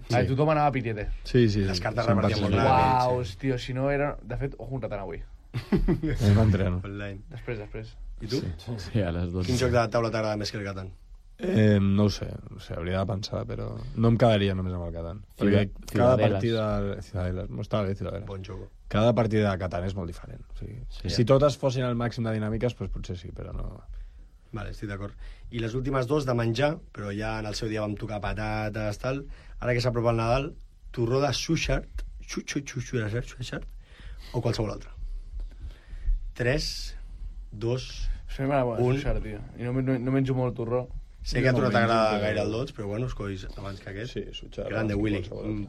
Sí. Tothom anava a pitiete. Sí. Les cartes 100%. repartien molt ràpid. Uau, tio, si no era... De fet, ojo un Catan avui. Anem entreno. Online. Després. I tu? Sí, a les 12. Quin joc de taula t'agrada més que el Catan? No ho sé, hauria de pensar, però no em quedaria només amb el Catan. Perquè cada Ciudadelas. partida... Ciudadelas, no està bé, Ciudadelas. Bon joc. Cada partida de Catan és molt diferent. O sigui, si totes fossin al màxim de dinàmiques, doncs potser sí, però no... Vale, estic d'acord. I les últimes dos de menjar, però ja en el seu dia vam tocar patates, tal. Ara que s'apropa el Nadal, torró de Sushart, o qualsevol altre. 3, 2... A mi m'agrada molt el tio. I no menjo molt torró. Sé que a tu no t'agrada gaire el dolç, però bueno, escollis abans que aquest. Sí, Sushart. Grande, Willy.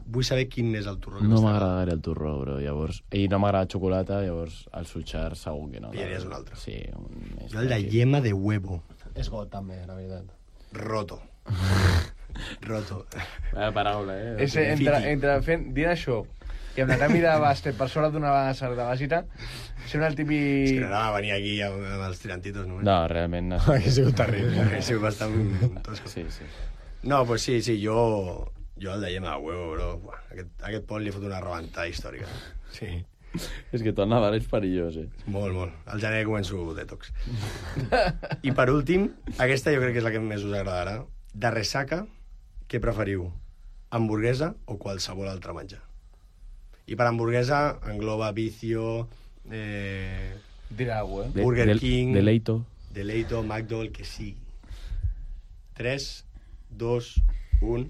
Vull saber quin és el torró que No més m'agrada gaire el torró, bro, llavors... I no m'agrada xocolata, llavors el Suchar segur que no. Pillaries un altre. Sí, un més... Jo el de yema de huevo. És got, també, la veritat. Roto. Roto. Vaya paraula, És entre dient això i amb la canvi de bàsquet per sobre d'una certa bàsica, sembla el És típic... que no anava a venir aquí amb els tirantitos, no? No, realment no. Hauria sigut terrible. Ha sigut bastant tosco. Sí, sí. No, pues sí, jo el de yema de huevo, bro. Buah, aquest pont li fot una rebentada històrica. Sí. És que tot Nadal és perillós, Molt, molt. Al gener començo detox. I per últim, aquesta jo crec que és la que més us agradarà. De ressaca, què preferiu? Hamburguesa o qualsevol altre menjar? I per hamburguesa engloba Vicio, Dirà alguna cosa, Burger King, Deleito, McDo, el que sigui. 3, 2, 1...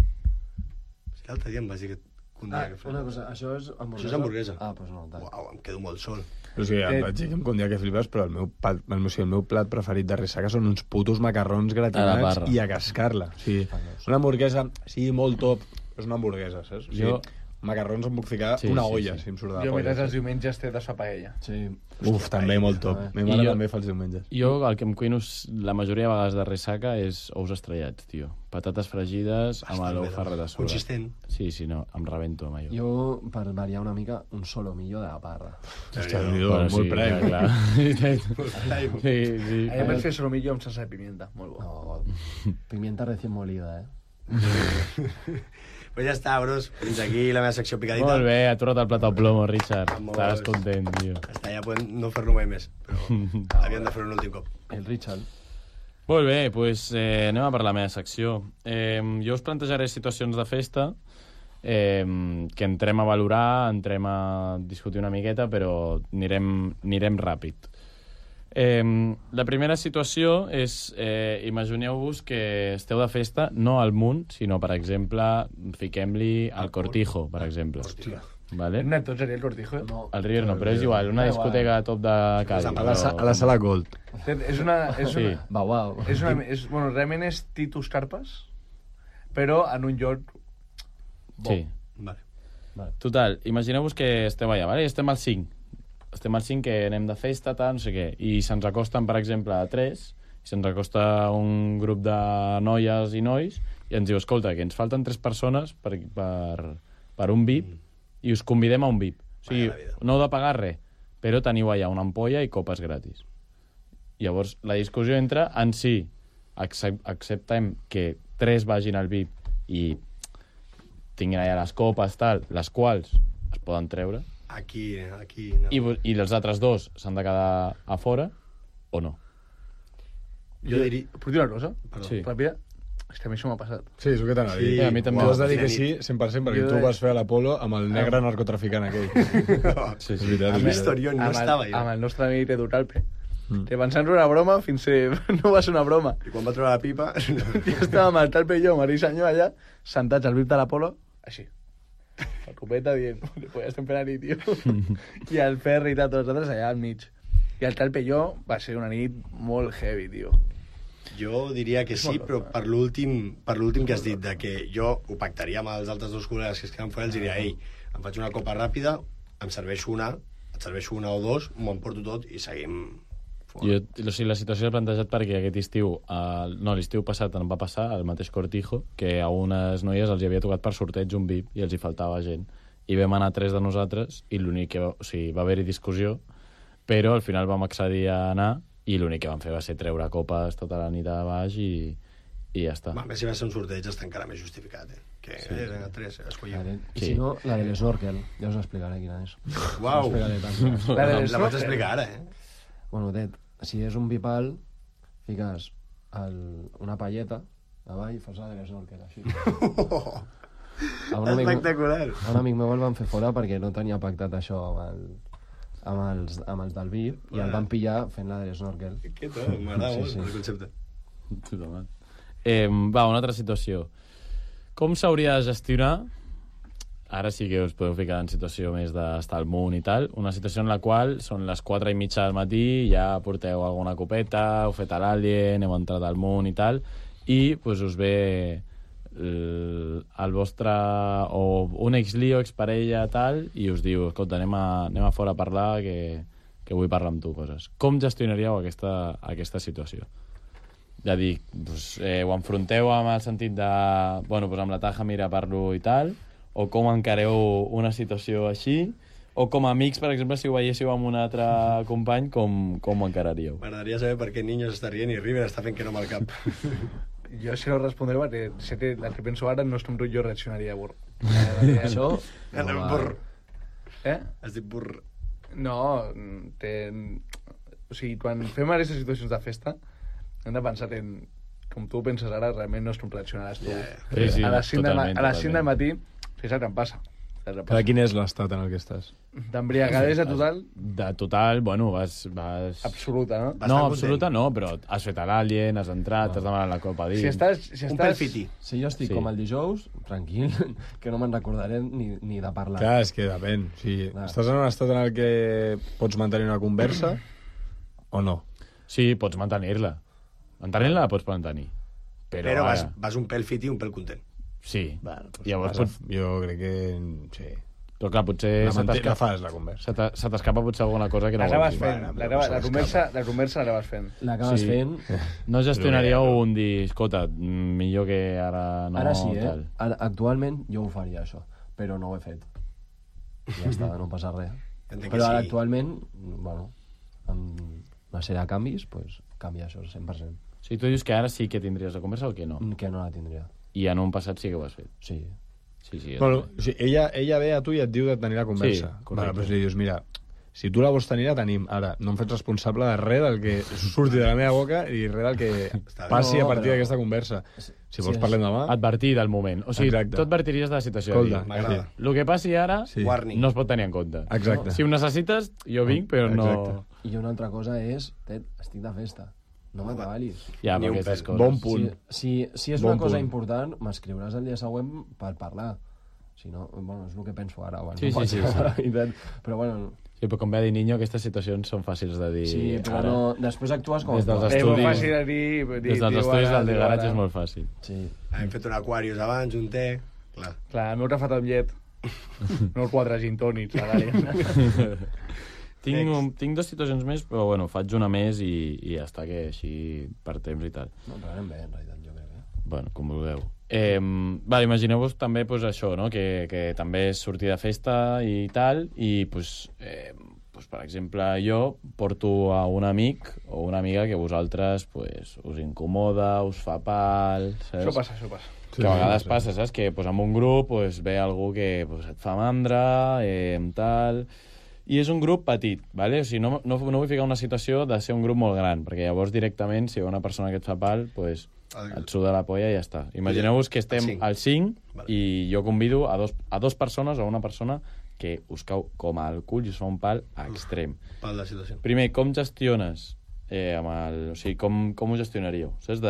L'altre dia em vas dir que un dia que Una cosa, això és hamburguesa? Això és hamburguesa. Ah, doncs no, tal. Uau, em quedo molt sol. O sigui, em vaig dir que em condia que flipes, però el meu plat preferit de ressaca són uns putos macarrons A la gratinats barra. i a cascar-la. O sigui, una hamburguesa, sí, molt top, però és una hamburguesa, saps? O sigui, macarrons em puc ficar una olla, si em surt de la Jo polla. mentre els diumenges té de fa paella. Sí. Uf, també molt top. Ma mare jo- també fa els diumenges. Jo el que em cuino la majoria de vegades de ressaca és ous estrellats, tio. Patates fregides amb l'ou ferret a sobre. Consistent. Sí, no, em rebento amb allò. Jo, per variar una mica, un solomillo de la parra. Hòstia, molt prime. Clar. Sí. Ahir vaig fer solomillo amb salsa de pimienta, molt bo. No, pimienta recién molida, Pues ja està, bros. Fins aquí la meva secció picadita. Molt bé, ha tornat el plat al plomo, Richard. Vamos. Estaràs content, tio. Està, ja podem no fer-lo mai més, però havíem de fer-ho un últim cop. El Richard. Molt bé, doncs anem a per la meva secció. Jo us plantejaré situacions de festa que entrem a valorar, entrem a discutir una miqueta, però anirem ràpid. La primera situació és, imagineu-vos que esteu de festa, no al Munt, sinó, per exemple, fiquem-li al Cortijo, per exemple. vale? No, tots seria el Cortijo. No. El River no, però és igual, una discoteca top de Cádiz. A la sala Gold. És una... Sí. Bau. Bueno, realment és Titus Carpas, però en un lloc bo. Sí. Vale. Total, imagineu-vos que estem allà, vale? Estem al 5. Estem al 5, que anem de festa, tal, no sé què. I se'ns acosten, per exemple, a 3, i se'ns acosta un grup de noies i nois, i ens diu, escolta, que ens falten 3 persones per un VIP, i us convidem a un VIP. O sigui, no heu de pagar res, però teniu allà una ampolla i copes gratis. Llavors, la discussió entra en si acceptem que 3 vagin al VIP i tinguin allà les copes, tal, les quals es poden treure, Aquí no. i els altres 2 s'han de quedar a fora, o no? Jo diria... Puc dir una cosa? Perdó. Sí. Ràpida? És que a mi això m'ha passat. Sí, és el que t'anava a dir. Sí, a mi també. Tu has de dir Wow. que sí 100% perquè Jo tu de- vas fer a l'Apolo amb el negre narcotraficant aquell. Sí, És veritat, és veritat. Historión, no estava jo. Amb el nostre amic Edu Calpe. Que pensant una broma fins que no va ser una broma. I quan va trobar la pipa... I estàvem el Calpe i jo, Marí Senyor, allà, sentats al VIP de l'Apolo, així. La copeta dient, pues ja estem fent la nit, tio. I el Ferri i tal, tots els altres allà al mig. I el Calpe i jo va ser una nit molt heavy, tio. Jo diria que sí, però per l'últim que has dit, de que jo ho pactaria amb els altres 2 col·legues que es queden fora, els diria, ei, em faig una copa ràpida, em serveixo una, et serveixo una o 2, m'ho emporto tot i seguim fora. O sigui, la situació s'ha plantejat perquè aquest estiu, l'estiu passat em va passar al mateix Cortijo, que a unes noies els hi havia tocat per sorteig un VIP i els hi faltava gent. I vam anar 3 de nosaltres i l'únic que... O sigui, va haver-hi discussió, però al final vam accedir a anar i l'únic que vam fer va ser treure copes tota la nit a baix i ja està. A més, si va ser un sorteig està encara més justificat, que eren a 3, escollim. I si no, la de l'Snorkel. Ja us explicaré quina és. Uau! Us explicaré tant. La vaig explicar ara, Bueno, Ted, si és un bipal, fiques una palleta davall i fas la de l'Snorkel, així. A un Espectacular! A un amic meu el van fer fora perquè no tenia pactat això amb els del VIP i el van pillar fent la de l'Snorkel. Què tal? M'agrada molt Sí. el concepte. Totalment. Va, una altra situació. Com s'hauria de gestionar, ara sí que us podeu ficar en situació més d'estar al munt i tal, una situació en la qual són les 4:30 del matí, ja porteu alguna copeta, heu fet a l'Alien, heu entrat al munt i tal, i pues, us ve el vostre o un exlio, exparella tal, i us diu, escolta, anem a fora a parlar que vull parlar amb tu coses. Com gestionaríeu aquesta situació? Ja dic, doncs, ho enfronteu amb el sentit de, bueno, doncs amb la taja, mira, parlo i tal, o com encareu una situació així, o com a amics, per exemple, si ho veiéssiu amb un altre company, com ho encararíeu? M'agradaria saber per què Niños està rient i River està fent que no amb el cap. Jo sí no respondré perquè sé que el que penso ara no és com tu jo reaccionaria, burro. Això... Burr. Has dit burr. No, o sigui, quan fem aquestes situacions de festa, hem de pensar en com tu penses ara, realment no és com reaccionaràs tu. Sí, A les 5 totalment. del matí, sí, saps què em passa? Però quin és l'estat en el que estàs? D'embriagadesa total, De total, bueno, vas... absoluta, no? No, absoluta no, però has fet a l'Alien, has entrat, t'has demanat la copa dins... Si estàs... Un pèl fiti. Si jo estic Sí. com el dijous, tranquil, que no me'n recordaré ni de parlar. Clar, és que depèn. O sigui, Clar. estàs en un estat en el que pots mantenir una conversa o no? Sí, pots mantenir-la. Mantenir-la la pots mantenir. Però ara- vas un pèl fiti i un pèl content. Sí. Bueno, doncs Llavors, jo crec que... Sí. Però clar, potser La fas, la conversa. se t'escapa potser alguna cosa que no L'acabes vols dir. fent, la conversa l'acabes fent. L'acabes Sí. fent... No gestionaríeu un dir, escolta, millor que ara no... Ara sí, tal. Actualment jo ho faria, això, però no ho he fet. Ja està, no passa res. Entenc que Però ara sí. actualment, bueno, amb una sèrie de canvis, pues, canvia això, 100%. O sigui, tu dius que ara sí que tindries la conversa o que no? Que no la tindria. I en un passat sí que ho has fet. Sí. Sí, sí. Bueno, o sigui, ella ve a tu i et diu de tenir la conversa. Sí, correcte. Vale, però si li dius, mira, si tu la vols tenir, la tenim. Ara, no em faig responsable de res del que surti de la meva boca i res del que passi No, a partir però- d'aquesta conversa. Si vols és- parlem demà... Advertir del moment. O sigui, Exacte. tu advertiries de la situació. Escolta, M'agrada. El que passi ara Sí. Warning. no es pot tenir en compte. Exacte. Si ho necessites, jo vinc, però no... Exacte. I una altra cosa és, Ted, estic de festa. No m'atabalis. Ja, Ni per un aquestes pèl. coses. Bon punt. Si és Bon una cosa punt. important, m'escriuràs el dia següent per parlar. Si no, bueno, és el que penso ara. Bueno, Sí, no sí, pot sí, ser sí. veritat. Però bueno, Sí, però com ve a dir Niño, aquestes situacions són fàcils de dir. sí, però ara. no... Després actues com Des dels actues. estudis. molt fàcil de dir... Des dels estudis del de garatge és molt fàcil. Sí. Hem fet un Aquarius abans, un té... Clar. Clar, el meu refat amb llet. No el 4 gin tònics, a l'àrea. Tinc dues situacions més, però bueno, faig una més i ja està, que així per temps i tal. No, però anem bé, en realitat, jo crec. Bueno, com vulgueu. Imagineu-vos també pues, això, no? que també és sortir de festa i tal, i pues, per exemple, jo porto a un amic o una amiga que vosaltres pues, us incomoda, us fa pal... Saps? Això passa. Que a vegades passa, saps? Que pues, en un grup pues, ve algú que pues, et fa mandra, tal... I és un grup petit, ¿vale? O sigui, no vull ficar una situació de ser un grup molt gran, perquè llavors directament, si hi ha una persona que et fa pal, pues, et suda la polla i ja està. Imagineu-vos que estem al 5 i jo convido a dos persones o a una persona que us cau com al cul i us fa un pal extrem. Pal de situació. Primer, com gestiones? O sigui, com ho gestionaríeu? Saps?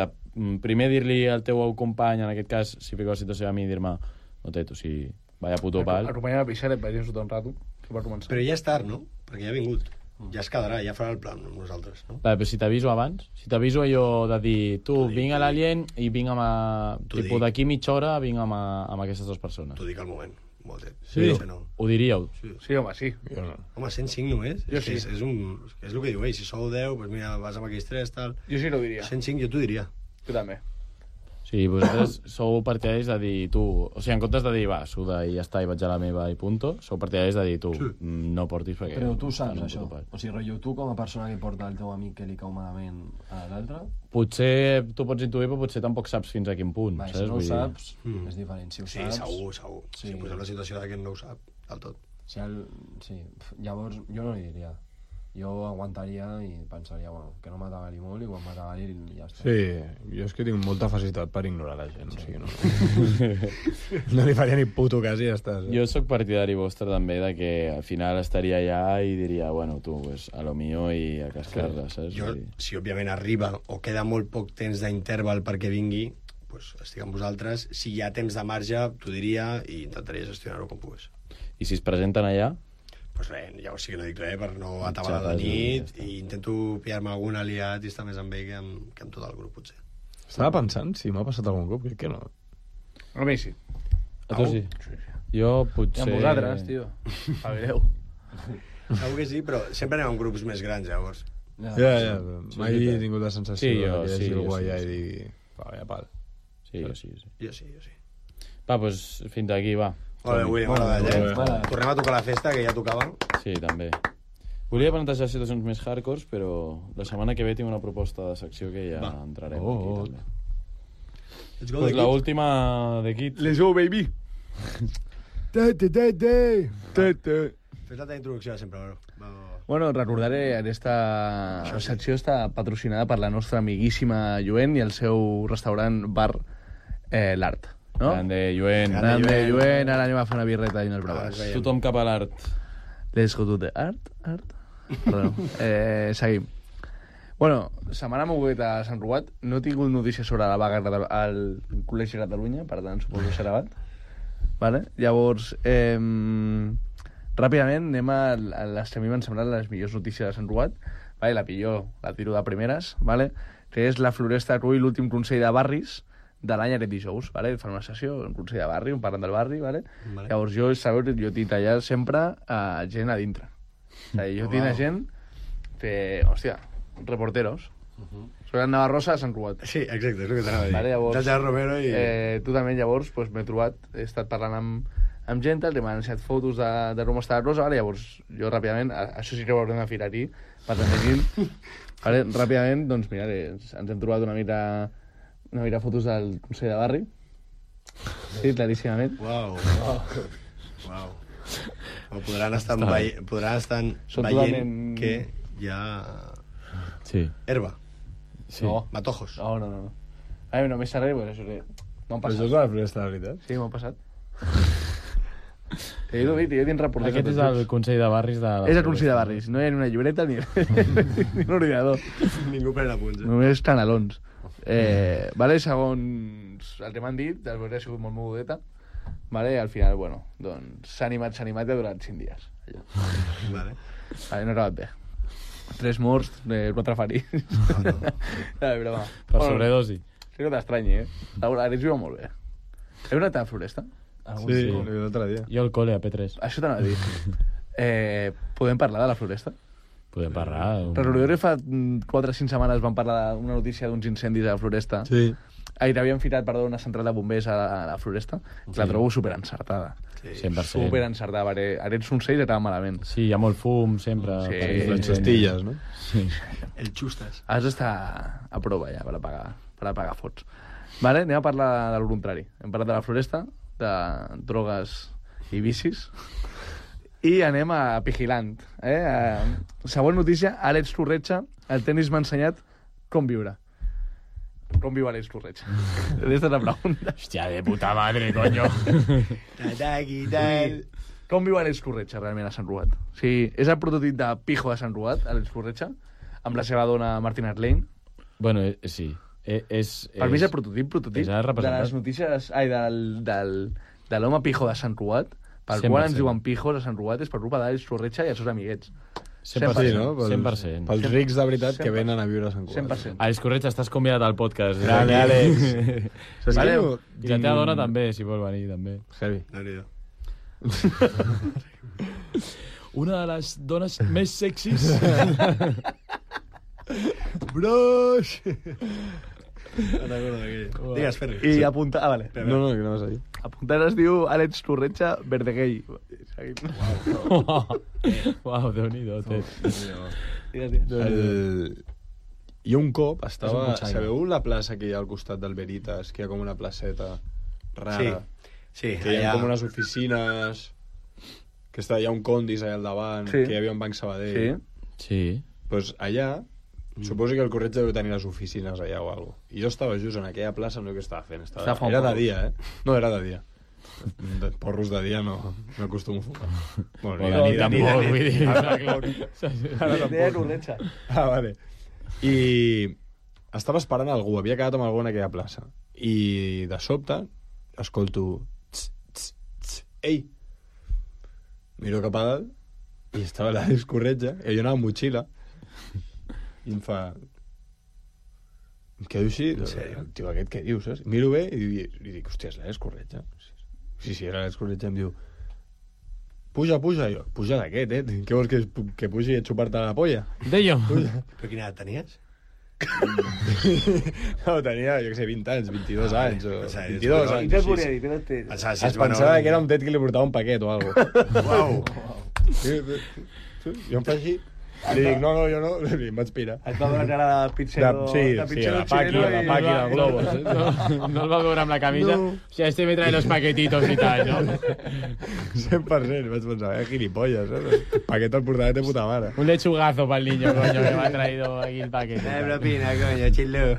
Primer dir-li al teu company, en aquest cas, si fico la situació a mi, dir-me no té, o sigui, vaya puto pal. Acompanyem a pixar i et vagin sota un rato, per començar. Però ja és tard, no? Perquè ja ha vingut. Ja es quedarà, ja farà el plan amb nosaltres, no? Però si t'aviso abans, si t'aviso allò de dir tu, vinc a l'Alien i vinc amb... Tipo, d'aquí mitja hora vinc amb aquestes dues persones. T'ho dic al moment. Molt bé. Sí? No. Ho diríeu? Sí, home, sí. Jo no. Home, 105 només? Jo sí. És el que diu ell, si sou 10, doncs mira, vas amb aquells 3, tal... Jo sí que ho diria. 105 jo t'ho diria. Tu també. Sí, vosaltres sou partidaris de dir tu... O sigui, en comptes de dir, va, suda i ja està, i vaig a la meva i punto, sou partidaris de dir tu, no portis perquè... Però tu saps no això. puto pal. O sigui, rotllo, tu com a persona que porta el teu amic que li cau malament a l'altre, Potser tu pots intuir, però potser tampoc saps fins a quin punt, va, saps? si no ho Vull dir- saps, és diferent. Si ho Sí, saps... segur. Sí. Si posem la situació de que no ho sap, del tot. Sí, llavors jo no li diria. Jo aguantaria i pensaria, bueno, que no m'atabali molt i quan m'atabali ja està. Sí, jo és que tinc molta facilitat per ignorar la gent, o sigui, no... no li faria ni puto cas i ja està. Jo sóc partidari vostre també de que al final estaria allà i diria, bueno, tu, pues, a lo mío i a cascar-la, saps? Jo, Vull dir- si òbviament arriba o queda molt poc temps d'interval perquè vingui, pues, estic amb vosaltres. Si hi ha temps de marge, t'ho diria i intentaria gestionar-ho com pugues. I si es presenten allà? Pues res, ja sí que no dic res per no atabalar la Xerres, nit ja i intento pillar-me algun aliat i estar més amb ell que amb tot el grup, potser. Estava pensant si m'ha passat algun cop, crec que no. A mi sí. A tu sí? Jo I potser... amb vosaltres, tio. Pagueu. Segur que sí, però sempre anem amb grups més grans, llavors. Ja, mai he tingut la sensació Sí, jo, que hi hagi sí, algú jo sí, allà i sí. digui, vaya pal. Sí, jo sí. Jo sí. Va, doncs fins aquí, va. Molt bé, Willy, m'ha agradat, Molt bé. Tornem a tocar la festa, que ja tocava. Sí, també. Volia plantejar situacions més hardcore, però la setmana que ve tinc una proposta de secció que ja entrarem aquí, també. Let's go, Pues The la Kids. última de Kids. Let's go, baby. Fes la teva introducció sempre, bro. Va. Bueno, recordaré, aquesta secció està patrocinada per la nostra amiguíssima Lluent i el seu restaurant bar L'Art. No? Grande, Lluent. Grande, Lluent, ara anem a fer una birreta i unes braves. Tothom cap a l'art. Let's go to the art. Perdó. Seguim. Bueno, setmana moguda a Sant Ruat. No he tingut notícies sobre la vaga al Col·legi de Catalunya, per tant, suposo que serà abat. Vale? Llavors, ràpidament anem a les que a mi m'han semblat les millors notícies de Sant Ruat. Vale? La pitjor la tiro de primeres, vale? Que és la Floresta Rull, l'últim Consell de Barris de l'any aquest dijous. Vale? Fan una sessió, un Consell de Barri, un parlant del barri. Vale? Vale. Llavors jo tinc allà sempre gent a dintre. O sigui, jo tinc a gent hòstia, reporteros. Soy el Navarrosa de Sant Ruat. Sí, exacte, és el que t'anava a dir. Vale, llavors, Del Romero i... tu també, llavors, pues, m'he trobat, he estat parlant amb gent, que m'han ensenyat fotos de com està la cosa, vale? Llavors jo ràpidament, això sí que ho haurem de firar aquí, per tant, vale? Ràpidament, doncs mira, ens hem trobat una mica fotos del Consell de Barri, sí, claríssimament. Uau. Podran estar veient totalment- que hi ha Sí. herba, Sí. No. matojos. No. A mi no m'he sabut, pues això sí. M'han Però això passat. és la Floresta, de veritat? Sí, m'han passat. T'he dit, jo tinc reporters. Aquest és el Consell de Barris de... És el Consell de Barris, no hi ha ni una llibreta ni un ordinador. Ningú pren apunts. Només canalons. Vale, segons el que m'han dit, després ha sigut molt mogudeta, Vale? I al final, bueno, doncs s'ha animat i ha durat 5 dies. Allò. Vale. Vale, no ha acabat bé. 3 morts, 4 ferits. No, però va. Per sobredosi. Sí que t'estranyi, L'Àlex viu molt bé. Heu anat a la Floresta? Sí, l'altre dia. Jo al col·le, a P3. Això t'anava a dir. Podem parlar de la Floresta? Podem parlar. Recordeu que fa 4 o 5 setmanes vam parlar d'una notícia d'uns incendis a la Floresta? Sí. T'havien ficat, una central de bombers a la Floresta, que la trobo superencertada. Sí. 100%. Superencertada, perquè aquests soncells estaven malament. Sí, hi ha molt fum, sempre. Sí, Les xastilles, no? Sí. El xustes. Has d'estar a prova ja per apagar fots. Vale? Anem a parlar del contrari. Hem parlat de la Floresta, de drogues i vicis, i anem a Pigilant. Següent notícia, Àlex Corretja, el tenis m'ha ensenyat com viure. Com viu Àlex Corretja? Aquesta és la pregunta. Hòstia, de puta madre, coño. Com viu Àlex Corretja realment a Sant Ruat? O sigui, és el prototip de pijo de Sant Ruat, Àlex Corretja, amb la seva dona Martina Arlein. Bueno, sí. Per mi és el prototip és el de representant. les notícies... Ai, de l'home pijo de Sant Ruat, pel 100%. qual ens diuen pijos a Sant Ruat, és per culpa d'Àlex Corretja i els seus amiguets. 100%, Sí, no? 100%. Pels rics de veritat que venen a viure a Sant Cugat. 100%. Àlex Corretja, estàs convidat al podcast. Grande, Àlex. Saps Vale. què? I la teva dona també, si vol venir, també. Heavy. Déu-n'hi-do. Una de les dones més sexis. Bros! Digues, Ferri. I apuntar... Ah, vale. No, que no vas a dir. Apuntar es diu Àlex Corretja Verdeguei. Seguim. Uau, Déu-n'hi-do, té. Jo un cop És un estava... cotxaire. Sabeu la plaça que hi ha al costat del Veritas, que hi ha com una placeta rara? Sí, Que hi ha allà... com unes oficines... Que hi ha un Condis allà al davant, Sí. que hi havia un Banc Sabadell. Sí. Sí. Pues allà, suposo que el Corretja deu tenir les oficines allà o alguna cosa. I jo estava just en aquella plaça, no sé què estava fent. Estava fent Era de porros. dia, No, era de dia. De porros de dia no acostumo a fumar. Bueno, O de nit tampoc, vull dir. Deia Corretja. Ah, vale. I estava esperant algú, havia quedat amb algú en aquella plaça. I de sobte escolto... Tss, tss, tss, ei! Miro cap a dalt i estava l'Àlex Corretja, i jo anava amb motxilla, i em fa... Em quedo així, tio, aquest què dius, saps? Miro bé i dic, hòstia, és l'Àlex Corretja. Sí, és l'Àlex Corretja, em diu... Puja, i jo, puja d'aquest, Què vols que pugi a xupar-te la polla? Deio. Però quina edat tenies? No, tenia, jo què sé, 20 anys, 22 anys, o o sigui, 22 és- anys. Què et sí, volia sí. dir? Què et Pensava, Es pensava que era un tet que li portava un paquet o alguna cosa. Uau! Jo em faig així, li dic, no, jo no, i em vaig pirar. Et va donar cara de pitxero... Sí, de sí, pitxero la paqui xileno del globus. No el va veure amb la camisa. No. O sea, este me trae los paquetitos y tal, ¿no? 100%, vaig pensar, gilipolles, paquet el portava de puta mare. Un lechugazo para el niño, coño, que me ha traído aquí el paquete. propina, coño, chillo.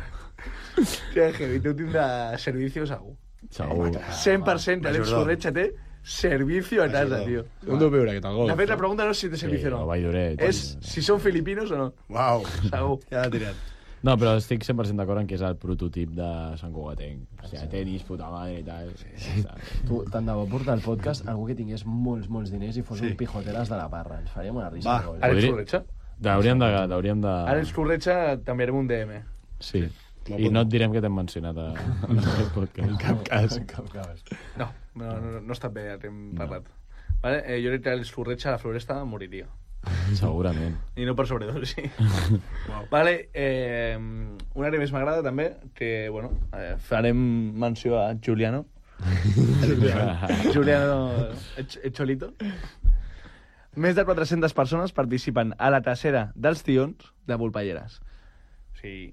Que heavy, tu tindràs servicio segur. Segur. 100% Àlex Majordom. Corretja té servicio a casa, tio. On deu viure aquest algú? De fet, la pregunta no és si té servicio o o no. Valldorets. És si són filipinos o no. Uau! Segur. Ja l'ha tirat. No, però estic 100% d'acord en que és el prototip de Sant Cugatenc. O sigui, tenis, puta madre i tal. Sí. Tu, tant de bo portar al podcast algú que tingués molts diners i fos un pijoteres de la parra. Ens faríem una risa. Va, molt. Àlex Podria- Corretja. Hauríem de... Àlex Corretja t'enviarem un DM. Sí. I no et direm que t'hem mencionat a aquest podcast. En cap cas. No està bé, ja t'hem parlat. Vale? Jo crec que Àlex Corretja a la Floresta moriria. Segurament. I no per sobredosi. Vale, una que més m'agrada també, que, bueno, farem menció a Giuliano. Giuliano Echolito. Més de 400 persones participen a la tacera dels tions de Volpelleres. O sigui,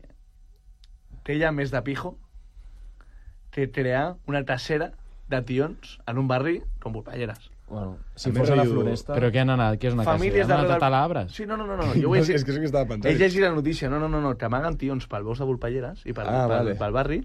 té ja més de pijo que crear una tacera de tions en un barri com Volpelleres. Bueno, si A fos més, a la jo- Floresta... Però què han anat? Què és una Famílies casa? Han anat darrere- a Talabres? Sí, no, jo ho he És que és el que estava pensant. He llegit la notícia, no, que amaguen tions pel bosc de Volpelleres i vale. pel barri,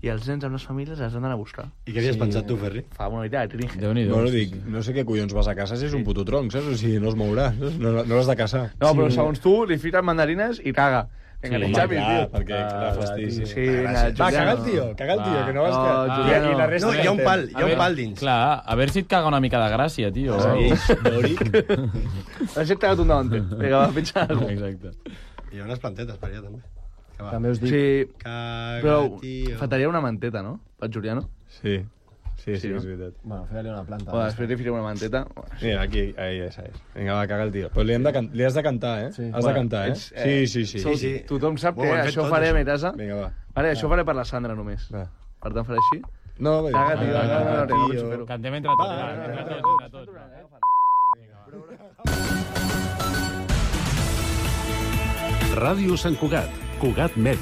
i els nens amb les famílies els han d'anar a buscar. I què havies pensat tu, Ferri? Fa una mica de tringe. Déu-n'hi-do. Bueno, dic, no sé què collons vas a caçar si és un puto tronc, saps? O sigui, no es mourà, saps? No l'has de caçar. No, però segons tu, li fiquen mandarines i caga. Vinga, Sí. sí. Xavi, Clar, tio. perquè la fastigi. Sí, vinga, Va, caga el tio, que no vols que... No, Juliano. I la resta No, hi ha un pal, hi ha un pal dins. Clar, a veure si et caga una mica de gràcia, tio. Sí, Dòric. Ha set cagat un davanter. Vinga, va, pitja alguna cosa. Exacte. I hi ha unes plantetes per allà, també. Que va. També us dic... Sí, Caga, però tio. faltaria una manteta, no? Pel Juliano. Sí, sí, Sí, no? és veritat. Bueno, fer-li una planta. O després li firem una manteta. Mira, aquí, ahí, esa és. Vinga, va, caga el tio. Però li has de cantar, eh? Sí. Has de cantar, eh? ets, Sí. Sí, sí. Tothom sap Ho que hem fet això tots, farem això. a casa. Vinga, va. Vale, això faré per la Sandra només. Va. Per tant, faré així. No, va. Caga, tio, Va, no, tio. penso fer-ho. Cantem entre tots, Va, va, entre tots. Ràdio Sant Cugat, Cugat Mèdia.